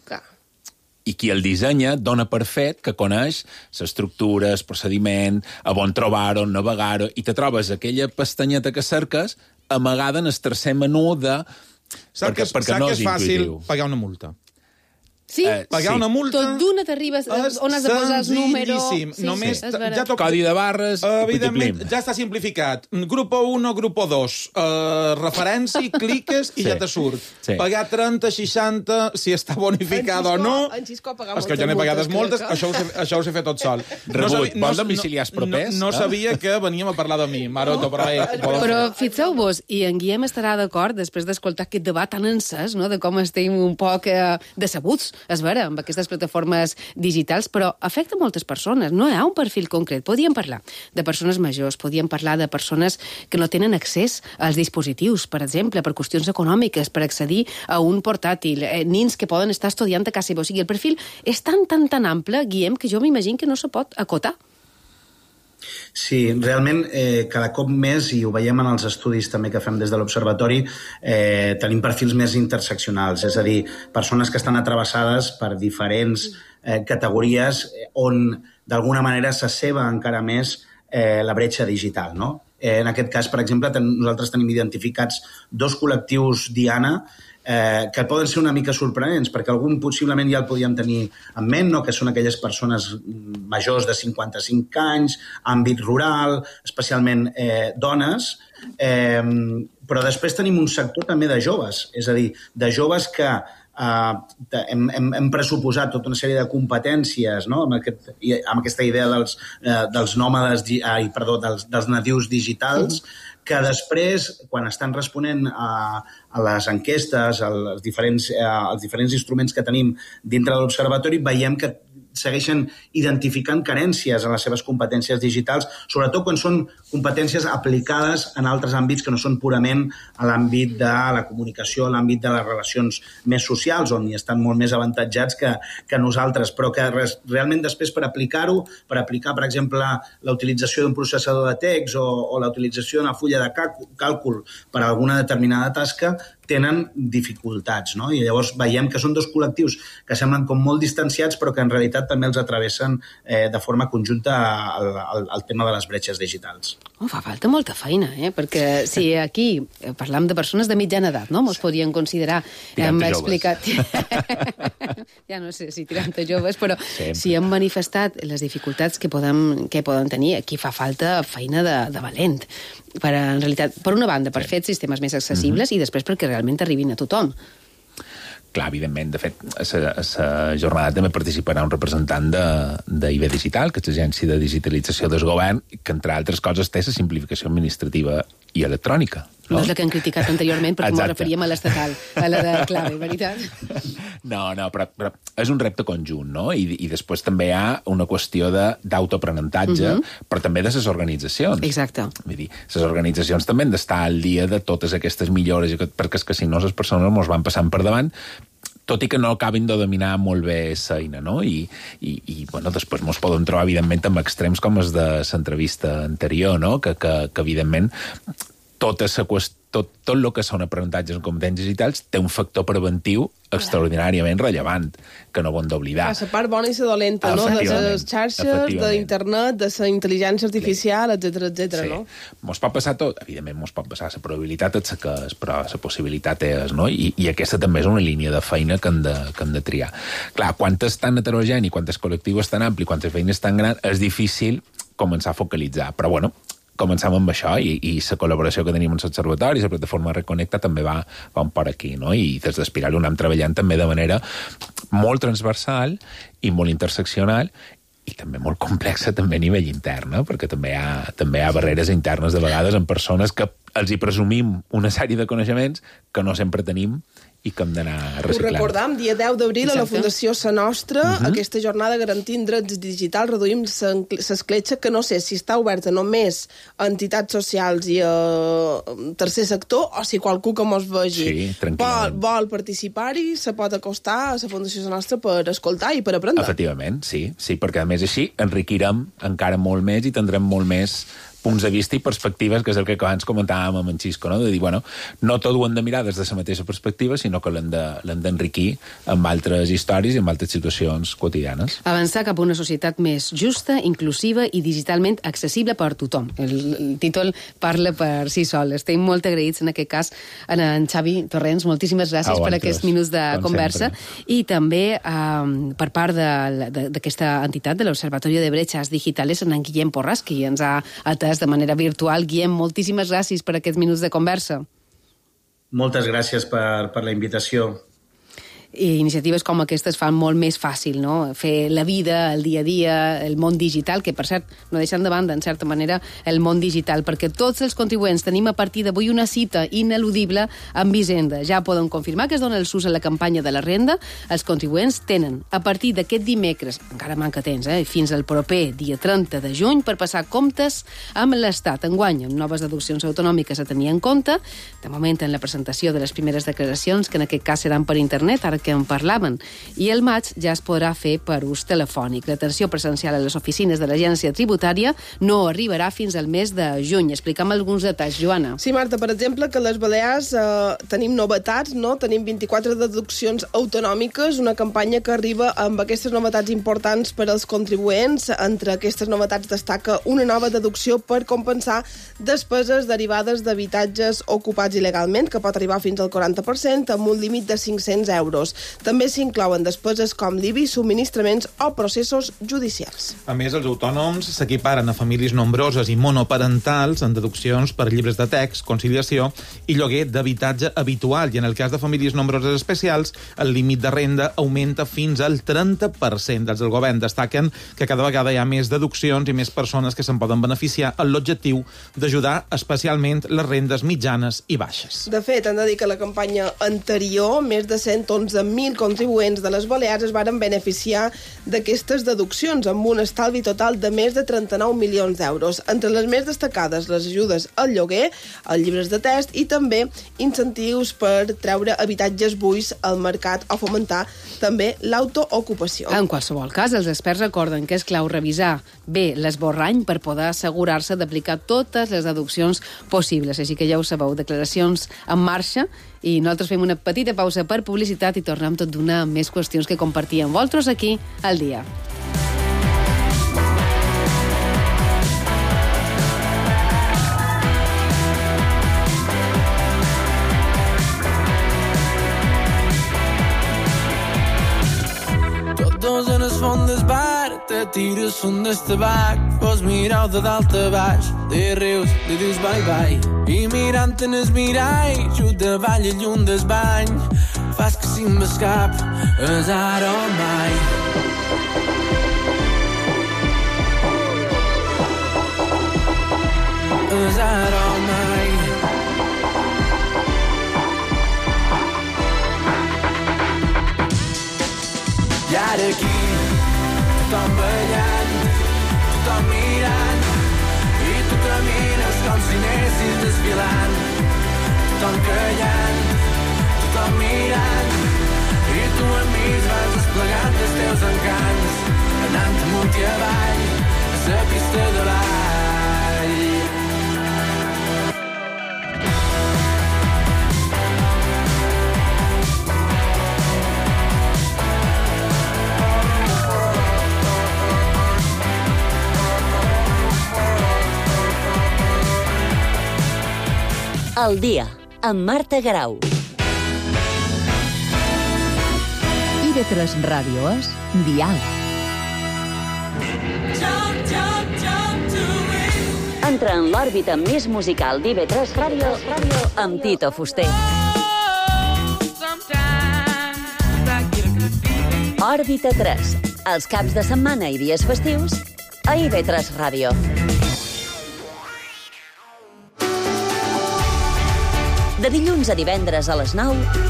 N: I qui el dissenya dona per fet que coneix l'estructura, el procediment, a on trobar-ho, on navegar-ho, i te trobes aquella pestanyeta que cerques amagada en el tercer menú de...
H: Saps que és fàcil pagar una multa?
F: Sí,
H: pagar una multa...
F: Tot d'una t'arribes on has de posar el número...
H: Només...
N: Codi de barres...
H: Evidentment, ja està simplificat. Grupo 1, grupo 2. Referència, cliques i ja te surt. Pagar 30, 60, si està bonificat o no...
G: En Xisco ha pagat
H: moltes multes. És que jo n'he pagades moltes, això ho sé fer tot sol.
N: Rebut, vols domiciliars propers?
H: No sabia que veníem a parlar de mi, Maroto, però...
F: Però fixeu-vos, i en Guillem estarà d'acord, després d'escoltar aquest debat tan encès, de com estem un poc decebuts, és vera, amb aquestes plataformes digitals, però afecta moltes persones. No hi ha un perfil concret. Podíem parlar de persones majors, podíem parlar de persones que no tenen accés als dispositius, per exemple, per qüestions econòmiques, per accedir a un portàtil, nins que poden estar estudiant a casa seva. O sigui, el perfil és tan ample, Guillem, que jo m'imagino que no se pot acotar.
O: Sí, realment cada cop més, i ho veiem en els estudis també que fem des de l'Observatori, tenim perfils més interseccionals, és a dir, persones que estan atrevessades per diferents categories on d'alguna manera s'asseva encara més la bretxa digital, no? En aquest cas, per exemple, nosaltres tenim identificats 2 col·lectius Diana que poden ser una mica sorprenents, perquè algun possiblement ja el podíem tenir en ment, no? Que són aquelles persones majors de 55 anys, àmbit rural, especialment dones, però després tenim un sector també de joves, és a dir, de joves que hem pressuposat tota una sèrie de competències, no? amb aquesta idea dels nòmades, dels nadius digitals, que després, quan estan responent a les enquestes, als diferents instruments que tenim dintre de l'Observatori, veiem que segueixen identificant carències en les seves competències digitals, sobretot quan són competències aplicades en altres àmbits que no són purament a l'àmbit de la comunicació, a l'àmbit de les relacions més socials, on hi estan molt més avantatjats que nosaltres, però que realment després per aplicar, per exemple, la utilització d'un processador de text o la utilització d'una fulla de càlcul per a alguna determinada tasca, tenen dificultats, no? I llavors veiem que són 2 col·lectius que semblen com molt distanciats, però que en realitat també els atravessen de forma conjunta al tema de les bretxes digitals.
F: Fa falta molta feina, perquè si aquí parlam de persones de mitjana edat, no? Mos podrien considerar... Hem explicat... Ja no sé si tirant a joves, però si hem manifestat les dificultats que poden tenir, aquí fa falta feina de valent. En realitat, per una banda, per fer sistemes més accessibles i després perquè realment arribin a tothom.
N: Clar, evidentment. De fet, a la jornada també participarà un representant d'IB Digital, que és l'agència de digitalització del govern, que, entre altres coses, té la simplificació administrativa i electrònica.
F: No és la que han criticat anteriorment, perquè m'ho referíem a l'estatal, a la de clave, veritat?
N: No, però és un repte conjunt, no? I després també hi ha una qüestió d'autoaprenentatge, però també de les organitzacions.
F: Exacte.
N: Vull dir, les organitzacions també han d'estar al dia de totes aquestes millores, perquè és que si no les persones ens van passant per davant, tot i que no acabin de dominar molt bé l'eina, no? I bueno, després ens podem trobar, evidentment, amb extrems com els de l'entrevista anterior, no? Que evidentment, tot el que són aprenentatges en competències digitals té un factor preventiu extraordinàriament rellevant, que no ho hem d'oblidar.
G: La part bona i la dolenta, no? De les xarxes, d'internet, de la intel·ligència artificial, etc., no?
N: Mos pot passar tot, evidentment mos pot passar, la probabilitat és que és, però la possibilitat és, no? I aquesta també és una línia de feina que hem de triar. Clar, quan és tan heterogeni, quan el col·lectiu és tan ampli, quan la feina és tan gran, és difícil començar a focalitzar, però bueno, començam amb això i la col·laboració que tenim amb l'Observatori, la plataforma Reconnecta també va un per aquí, no? I des d'Espirali ho anem treballant també de manera molt transversal i molt interseccional i també molt complexa també a nivell intern, perquè també hi ha barreres internes de vegades en persones que els hi presumim una sèrie de coneixements que no sempre tenim i que hem d'anar reciclant.
G: Ho recordam, dia 10 d'abril a la Fundació Sa Nostra, aquesta jornada garantint drets digitals, reduïm l'escletxa, que no sé si està oberta només a entitats socials i a tercer sector, o si qualcú que mos vegi vol participar-hi, se pot acostar a la Fundació Sa Nostra per escoltar i per aprendre.
N: Efectivament, sí, perquè a més així enriquirem encara molt més i tindrem molt més punts de vista i perspectives, que és el que abans comentàvem amb en Xisco, no? De dir, bueno, no tot ho hem de mirar des de la mateixa perspectiva, sinó que l'hem d'enriquir amb altres històries i amb altres situacions quotidianes.
F: Avançar cap a una societat més justa, inclusiva i digitalment accessible per tothom. El títol parla per si sol. Estem molt agraïts en aquest cas a en Xavi Torrents. Moltíssimes gràcies per aquests minuts de conversa. I també per part d'aquesta entitat, de l'Observatori de Brechas Digitales, en Guillem Porras, qui ens ha atès de manera virtual. Guillem, moltíssimes gràcies per aquests minuts de conversa.
O: Moltes gràcies per la invitació.
F: I iniciatives com aquestes fan molt més fàcil, no? Fer la vida, el dia a dia, el món digital, que per cert no deixen de banda, en certa manera, el món digital, perquè tots els contribuents tenim a partir d'avui una cita ineludible amb Hisenda. Ja poden confirmar que es dona el sus a la campanya de la renda. Els contribuents tenen a partir d'aquest dimecres, encara manca temps, fins al proper dia 30 de juny, per passar comptes amb l'Estat. Enguany, amb noves deduccions autonòmiques a tenir en compte, de moment en la presentació de les primeres declaracions, que en aquest cas seran per internet, ara que en parlaven, i el maig ja es podrà fer per ús telefònic. L'atenció presencial a les oficines de l'Agència Tributària no arribarà fins al mes de juny. Explica'm alguns detalls, Joana.
G: Sí, Marta, per exemple, que a les Balears tenim novetats, no? Tenim 24 deduccions autonòmiques, una campanya que arriba amb aquestes novetats importants per als contribuents. Entre aquestes novetats destaca una nova deducció per compensar despeses derivades d'habitatges ocupats il·legalment, que pot arribar fins al 40%, amb un límit de 500 euros. També s'inclouen despeses com l'IBI, subministraments o processos judicials.
H: A més, els autònoms s'equiparen a famílies nombroses i monoparentals en deduccions per llibres de text, conciliació i lloguer d'habitatge habitual. I en el cas de famílies nombroses especials, el límit de renda augmenta fins al 30%. Des del govern destaquen que cada vegada hi ha més deduccions i més persones que se'n poden beneficiar amb l'objectiu d'ajudar especialment les rendes mitjanes i baixes.
G: De fet, han de dir que la campanya anterior, més de 111.000 contribuents de les Balears es varen beneficiar d'aquestes deduccions, amb un estalvi total de més de 39 milions d'euros. Entre les més destacades, les ajudes al lloguer, als llibres de text i també incentius per treure habitatges buits al mercat o fomentar també l'autoocupació.
F: En qualsevol cas, els experts recorden que és clau revisar bé l'esborrany per poder assegurar-se d'aplicar totes les deduccions possibles. Així que ja ho sabeu, declaracions en marxa, i nosaltres fem una petita pausa per publicitat i tornem tot d'una amb més qüestions que compartir amb vosaltres aquí al dia.
P: Tots en el fons del bar, te tires fum del tabac, vos mireu de dalt a baix, de rius, li dius bye-bye, i mirant en el mirall, just davall i lluny del bany, fas que si m'escap, és ara o mai. És ara o mai. I ara aquí, tothom ballant, tothom mirant, i tu camines com si anessis desfilant. Tothom callant, tothom mirant, i tu amb mi vas desplegant els teus encants, anant amunt i avall, a la pista de l'all.
D: Al dia, amb Marta Garau.
C: IB3 Ràdio és Dial.
D: Entra en l'òrbita més musical d'IV3 Ràdio amb Tito Fuster. Òrbita 3, els caps de setmana i dies festius a IV3 Ràdio. De dilluns a divendres a les 9,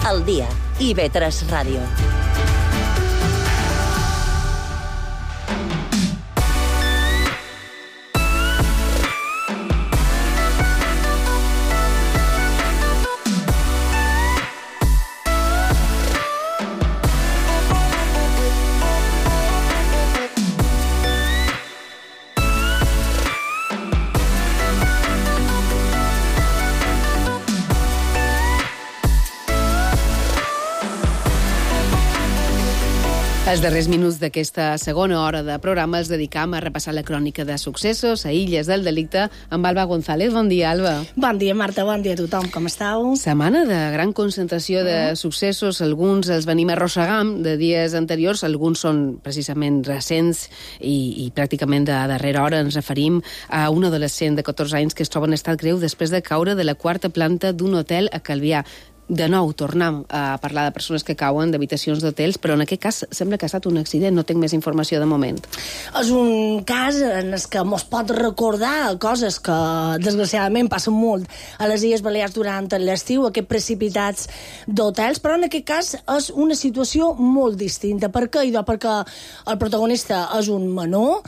D: al dia, IV3 Ràdio.
F: Els darrers minuts d'aquesta segona hora de programa els dedicam a repassar la crònica de successos a Illes del Delicte amb Alba González. Bon dia, Alba.
Q: Bon dia, Marta. Bon dia a tothom. Com estàu?
F: Setmana de gran concentració de successos. Alguns els venim arrossegant de dies anteriors, alguns són precisament recents i pràcticament de darrera hora. Ens referim a un adolescent de 14 anys que es troba en estat greu després de caure de la quarta planta d'un hotel a Calvià. De nou, tornem a parlar de persones que cauen d'habitacions d'hotels, però en aquest cas sembla que ha estat un accident, no tinc més informació de moment.
Q: És un cas en el que mos pot recordar coses que, desgraciadament, passen molt a les Illes Balears durant l'estiu, aquests precipitats d'hotels, però en aquest cas és una situació molt distinta. Per què? Perquè el protagonista és un menor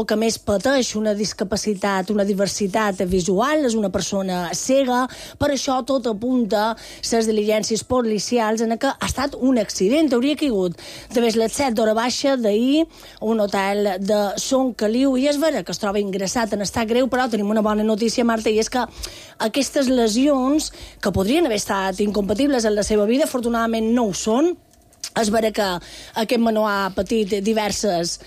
Q: que més pateix una discapacitat, una diversitat visual, és una persona cega, per això tot apunta les diligències policials en què ha estat un accident. Hauria caigut de les 7 d'hora baixa d'ahir a un hotel de Son Caliu, i és vera que es troba ingressat en estat greu, però tenim una bona notícia, Marta, i és que aquestes lesions, que podrien haver estat incompatibles en la seva vida, afortunadament no ho són. És vera que aquest menor ha patit diverses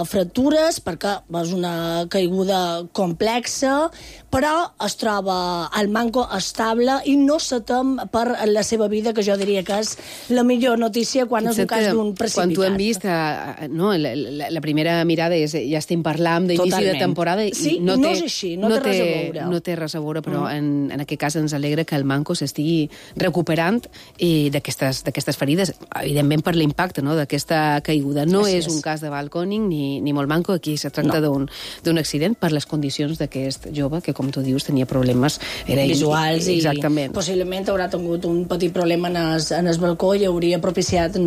Q: fractures perquè és una caiguda complexa, però es troba al manco estable i no se tem per la seva vida, que jo diria que és la millor notícia quan és un cas d'un precipitat.
F: Quan t'ho hem vist, la primera mirada és ja estem parlant d'inici de temporada i
Q: sí, no és així, no té res a veure.
F: No té res a veure, però en aquest cas ens alegra que el manco s'estigui recuperant d'aquestes ferides, evidentment per l'impacte d'aquesta caiguda. No és un cas de balcòning ni molt manco, aquí se tracta d'un accident per les condicions d'aquest jove que, com tu dius, tenia problemes
Q: visuals i
F: exactament.
Q: Possiblement haurà tingut un petit problema en el balcó i hauria propiciat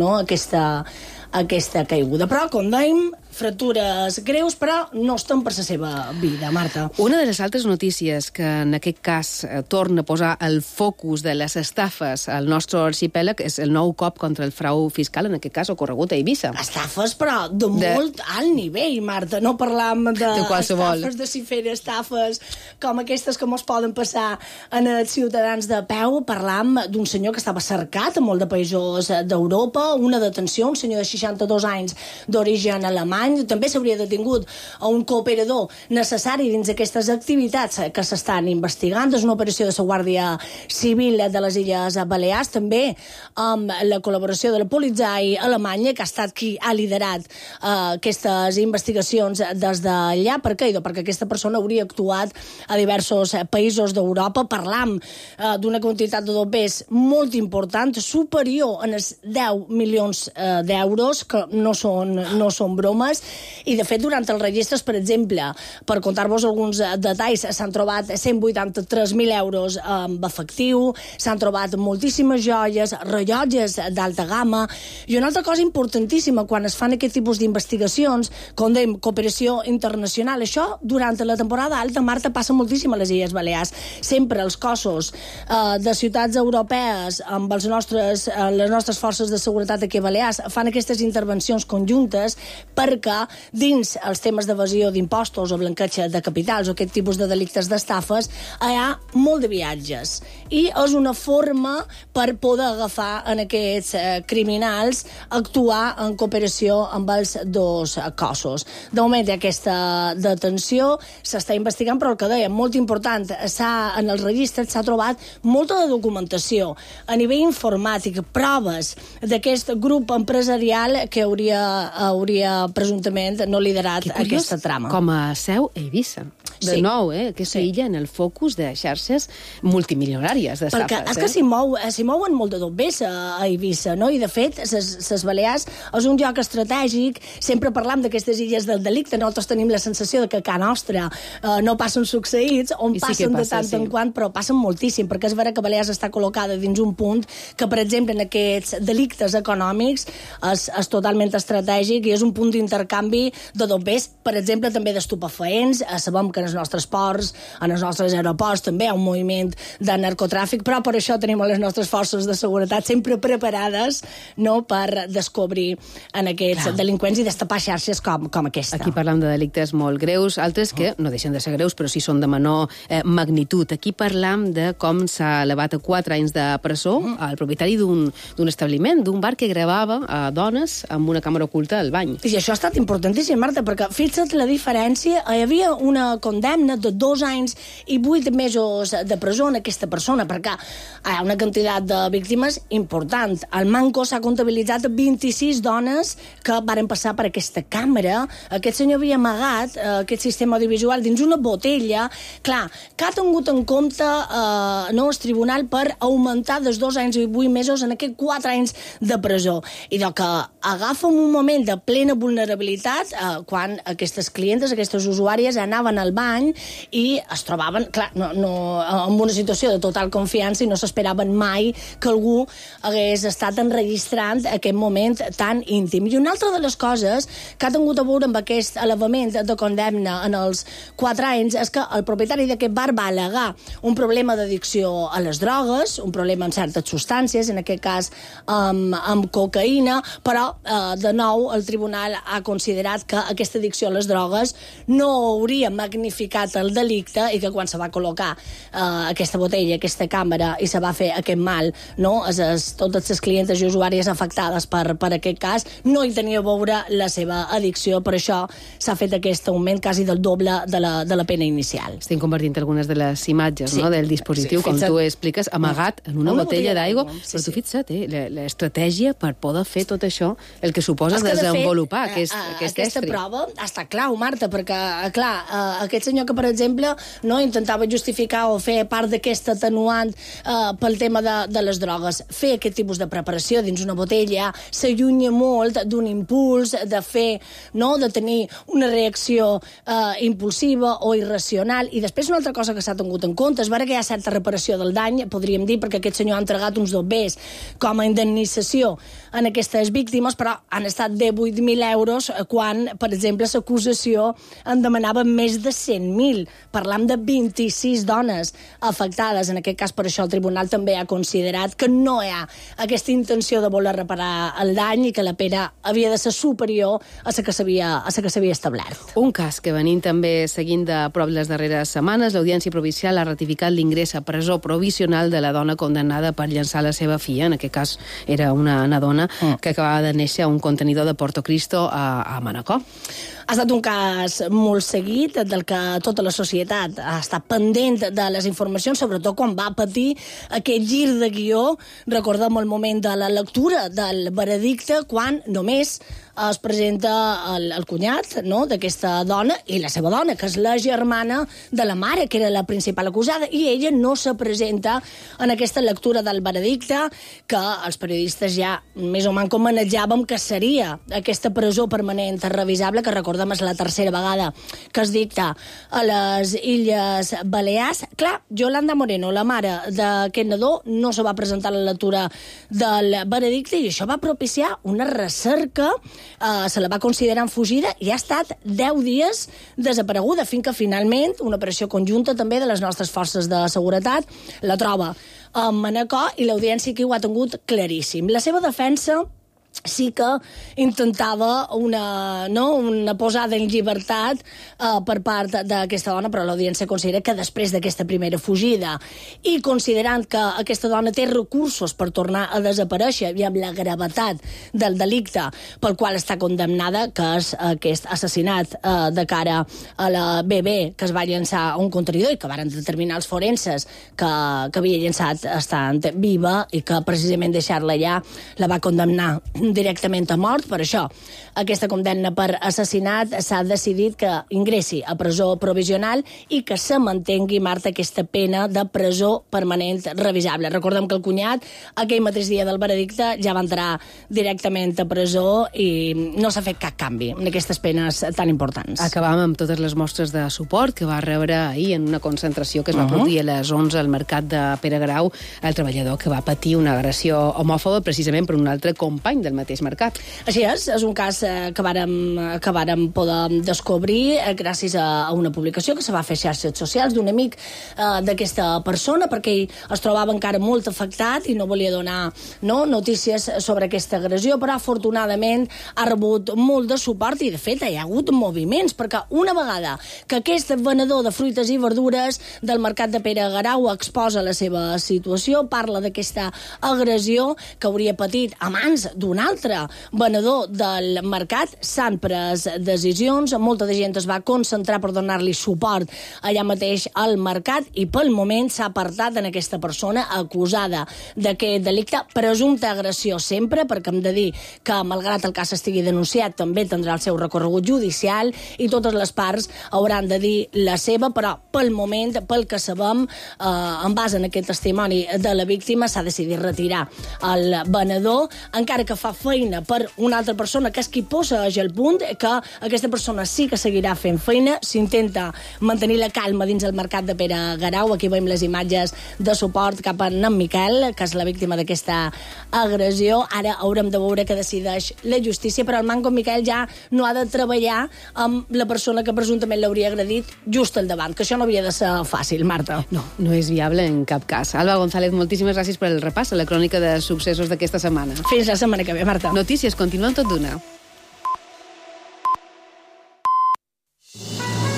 Q: aquesta caiguda. Però, com dèiem, fractures greus, però no estan per la seva vida, Marta.
F: Una de les altres notícies que en aquest cas torna a posar el focus de les estafes al nostre arxipèlag és el nou cop contra el frau fiscal, en aquest cas ocorregut a Eivissa.
Q: Estafes, però de molt alt nivell, Marta. No parlam d'estafes de cifera, estafes com aquestes que mos poden passar en els ciutadans de peu. Parlam d'un senyor que estava cercat en molt de països d'Europa, una detenció, un senyor de 62 anys d'origen alemany. També s'hauria detingut a un cooperador necessari dins aquestes activitats que s'estan investigant. És una operació de la Guàrdia Civil de les Illes Balears, també amb la col·laboració de la Polizei alemanya, que ha estat qui ha liderat aquestes investigacions des d'allà. Per què? Perquè aquesta persona hauria actuat a diversos països d'Europa. Parlam d'una quantitat de dopers molt important, superior a els 10 milions d'euros, que no són bromes. I, de fet, durant els registres, per exemple, per contar-vos alguns detalls, s'han trobat 183.000 euros en efectiu, s'han trobat moltíssimes joies, rellotges d'alta gamma, i una altra cosa importantíssima quan es fan aquest tipus d'investigacions, com dèiem, cooperació internacional. Això, durant la temporada alta, Marta, passa moltíssim a les Illes Balears. Sempre els cossos de ciutats europees amb les nostres forces de seguretat aquí a Balears fan aquestes intervencions conjuntes perquè dins els temes d'evasió d'impostos o blanqueig de capitals o aquest tipus de delictes d'estafes hi ha molt de viatges i és una forma per poder agafar en aquests criminals, actuar en cooperació amb els dos cossos. De moment hi ha aquesta detenció, s'està investigant, però el que deia, molt important, en els registres s'ha trobat molta de documentació a nivell informàtic, proves d'aquest grup empresarial que hauria presumptament l'Ajuntament no ha liderat aquesta trama.
F: Com a seu a Eivissa. De nou, aquesta illa en el focus de xarxes multimilionàries d'estafes.
Q: Perquè és que s'hi mouen molt de dobbers a Eivissa, no? I de fet, les Balears és un lloc estratègic. Sempre parlam d'aquestes illes del delicte. Nosaltres tenim la sensació de que a casa nostra no passen succeïts, on passen de tant en quant, però passen moltíssim, perquè és vera que Balears està col·locada dins un punt que, per exemple, en aquests delictes econòmics és totalment estratègic i és un punt d'intercanvi de dobbers, per exemple, també d'estupefaents. Sabem que en els nostres ports, en els nostres aeroports també hi ha un moviment de narcotràfic, però per això tenim les nostres forces de seguretat sempre preparades, no?, per descobrir en aquests delinqüents i destapar xarxes com aquesta.
F: Aquí parlam de delictes molt greus, altres que no deixen de ser greus, però sí són de menor magnitud. Aquí parlam de com s'ha elevat a 4 anys de presó al propietari d'un establiment, d'un bar que gravava a dones amb una càmera oculta al bany.
Q: I això ha estat importantíssim, Marta, perquè fixa't la diferència. Hi havia una condemna de 2 anys i 8 mesos de presó en aquesta persona, perquè hi ha una quantitat de víctimes important. Al Manco s'ha comptabilitzat 26 dones que varen passar per aquesta càmera. Aquest senyor havia amagat aquest sistema audiovisual dins una botella. Clar, que ha tingut en compte el tribunal per augmentar dels 2 anys i 8 mesos en aquests 4 anys de presó. I que agafa un moment de plena vulnerabilitat quan aquestes clientes, aquestes usuàries anaven al bany i es trobaven, clar, en una situació de total confiança i no s'esperaven mai que algú hagués estat enregistrant aquest moment tan íntim. I una altra de les coses que ha tingut a veure amb aquest elevament de condemna en els 4 anys és que el propietari d'aquest bar va al·legar un problema d'addicció a les drogues, un problema amb certes substàncies, en aquest cas amb cocaïna, però de nou el tribunal ha considerat que aquesta addicció a les drogues no hauria magnificat el delicte i que quan se va col·locar aquesta botella, aquesta càmera i se va fer aquest mal, no? Totes les clientes i usuàries afectades per aquest cas no hi tenia a veure la seva addicció, per això s'ha fet aquest augment quasi del doble de la pena inicial.
F: Estem convertint algunes de les imatges del dispositiu, com tu expliques, amagat en una botella d'aigua, però tu fixa't, l'estratègia per poder fer tot això, el que suposa desenvolupar aquest estri.
Q: Aquesta prova està clau, Marta, perquè, clar, aquest senyor que, per exemple, no intentava justificar o fer part d'aquest atenuant pel tema de les drogues, fer aquest tipus de preparació dins una botella s'allunya molt d'un impuls de fer, no?, de tenir una reacció impulsiva o irracional. I després una altra cosa que s'ha tingut en compte és vera que hi ha certa reparació del dany, podríem dir, perquè aquest senyor ha entregat uns dobbers com a indemnització en aquestes víctimes, però han estat de 8.000 euros quan, per exemple, l'acusació en demanava més de 100.000. Parlam de 26 dones afectades. En aquest cas, per això, el tribunal també ha considerat que no hi ha aquesta intenció de voler reparar el dany i que la pena havia de ser superior a la que s'havia establert.
F: Un cas que venim també seguint de prop les darreres setmanes, l'Audiència Provincial ha ratificat l'ingrés a presó provisional de la dona condemnada per llançar la seva filla. En aquest cas era una dona que acabava de néixer a un contenidor de Porto Cristo a Manacor.
Q: Ha estat un cas molt seguit, del que tota la societat ha estat pendent de les informacions, sobretot quan va patir aquest gir de guió. Recordem el moment de la lectura del veredicte, quan només es presenta el cunyat, no?, d'aquesta dona i la seva dona, que és la germana de la mare, que era la principal acusada, i ella no se presenta en aquesta lectura del veredicte, que els periodistes ja més o menys manejàvem que seria aquesta presó permanent revisable, que recordem és la tercera vegada que es dicta a les Illes Balears. Clar, Yolanda Moreno, la mare d'aquest nadó, no se va presentar a la lectura del veredicte i això va propiciar una recerca. Se la va considerar fugida i ha estat 10 dies desapareguda, fins que finalment una operació conjunta també de les nostres forces de seguretat la troba a Manacor i l'audiència aquí ho ha tingut claríssim. La seva defensa sí que intentava una posada en llibertat per part d'aquesta dona, però l'audiència considera que després d'aquesta primera fugida i considerant que aquesta dona té recursos per tornar a desaparèixer i amb la gravetat del delicte pel qual està condemnada, que és aquest assassinat de cara a la bebè que es va llançar a un contenidor i que varen determinar els forenses que havia llançat estant viva i que precisament deixar-la allà la va condemnar directament a mort. Per això, aquesta condemna per assassinat s'ha decidit que ingressi a presó provisional i que se mantengui, Marta, aquesta pena de presó permanent revisable. Recordem que el cunyat, aquell mateix dia del veredicte, ja va entrar directament a presó i no s'ha fet cap canvi en aquestes penes tan importants.
F: Acabam amb totes les mostres de suport que va rebre ahir en una concentració que es va produir a les 11 al mercat de Pere Grau, el treballador que va patir una agressió homòfoba precisament per un altre company del mateix mercat.
Q: Així és un cas que vàrem poder descobrir gràcies a una publicació que se va fer a xarxes socials d'un amic d'aquesta persona, perquè ell es trobava encara molt afectat i no volia donar notícies sobre aquesta agressió, però afortunadament ha rebut molt de suport i de fet hi ha hagut moviments, perquè una vegada que aquest venedor de fruites i verdures del mercat de Pere Garau exposa la seva situació, parla d'aquesta agressió que hauria patit a mans d'un altre venedor del mercat, s'han pres decisions, molta de gent es va concentrar per donar-li suport allà mateix al mercat i pel moment s'ha apartat en aquesta persona acusada d'aquest delicte, presumpta agressió sempre, perquè hem de dir que malgrat el cas estigui denunciat també tindrà el seu recorregut judicial i totes les parts hauran de dir la seva, però pel moment, pel que sabem, en base en aquest testimoni de la víctima, s'ha decidit retirar el venedor, encara que fa feina per una altra persona, que és qui posa el punt, que aquesta persona sí que seguirà fent feina, s'intenta mantenir la calma dins el mercat de Pere Garau. Aquí veiem les imatges de suport cap a en Miquel, que és la víctima d'aquesta agressió. Ara haurem de veure què decideix la justícia, però el manco Miquel ja no ha de treballar amb la persona que presumptament l'hauria agredit just al davant, que això no havia de ser fàcil, Marta.
F: No és viable en cap cas. Alba González, moltíssimes gràcies per el repàs a la crònica de successos d'aquesta setmana.
Q: Fins la setmana que ve, Marta.
F: Notícies, continuem tot d'una.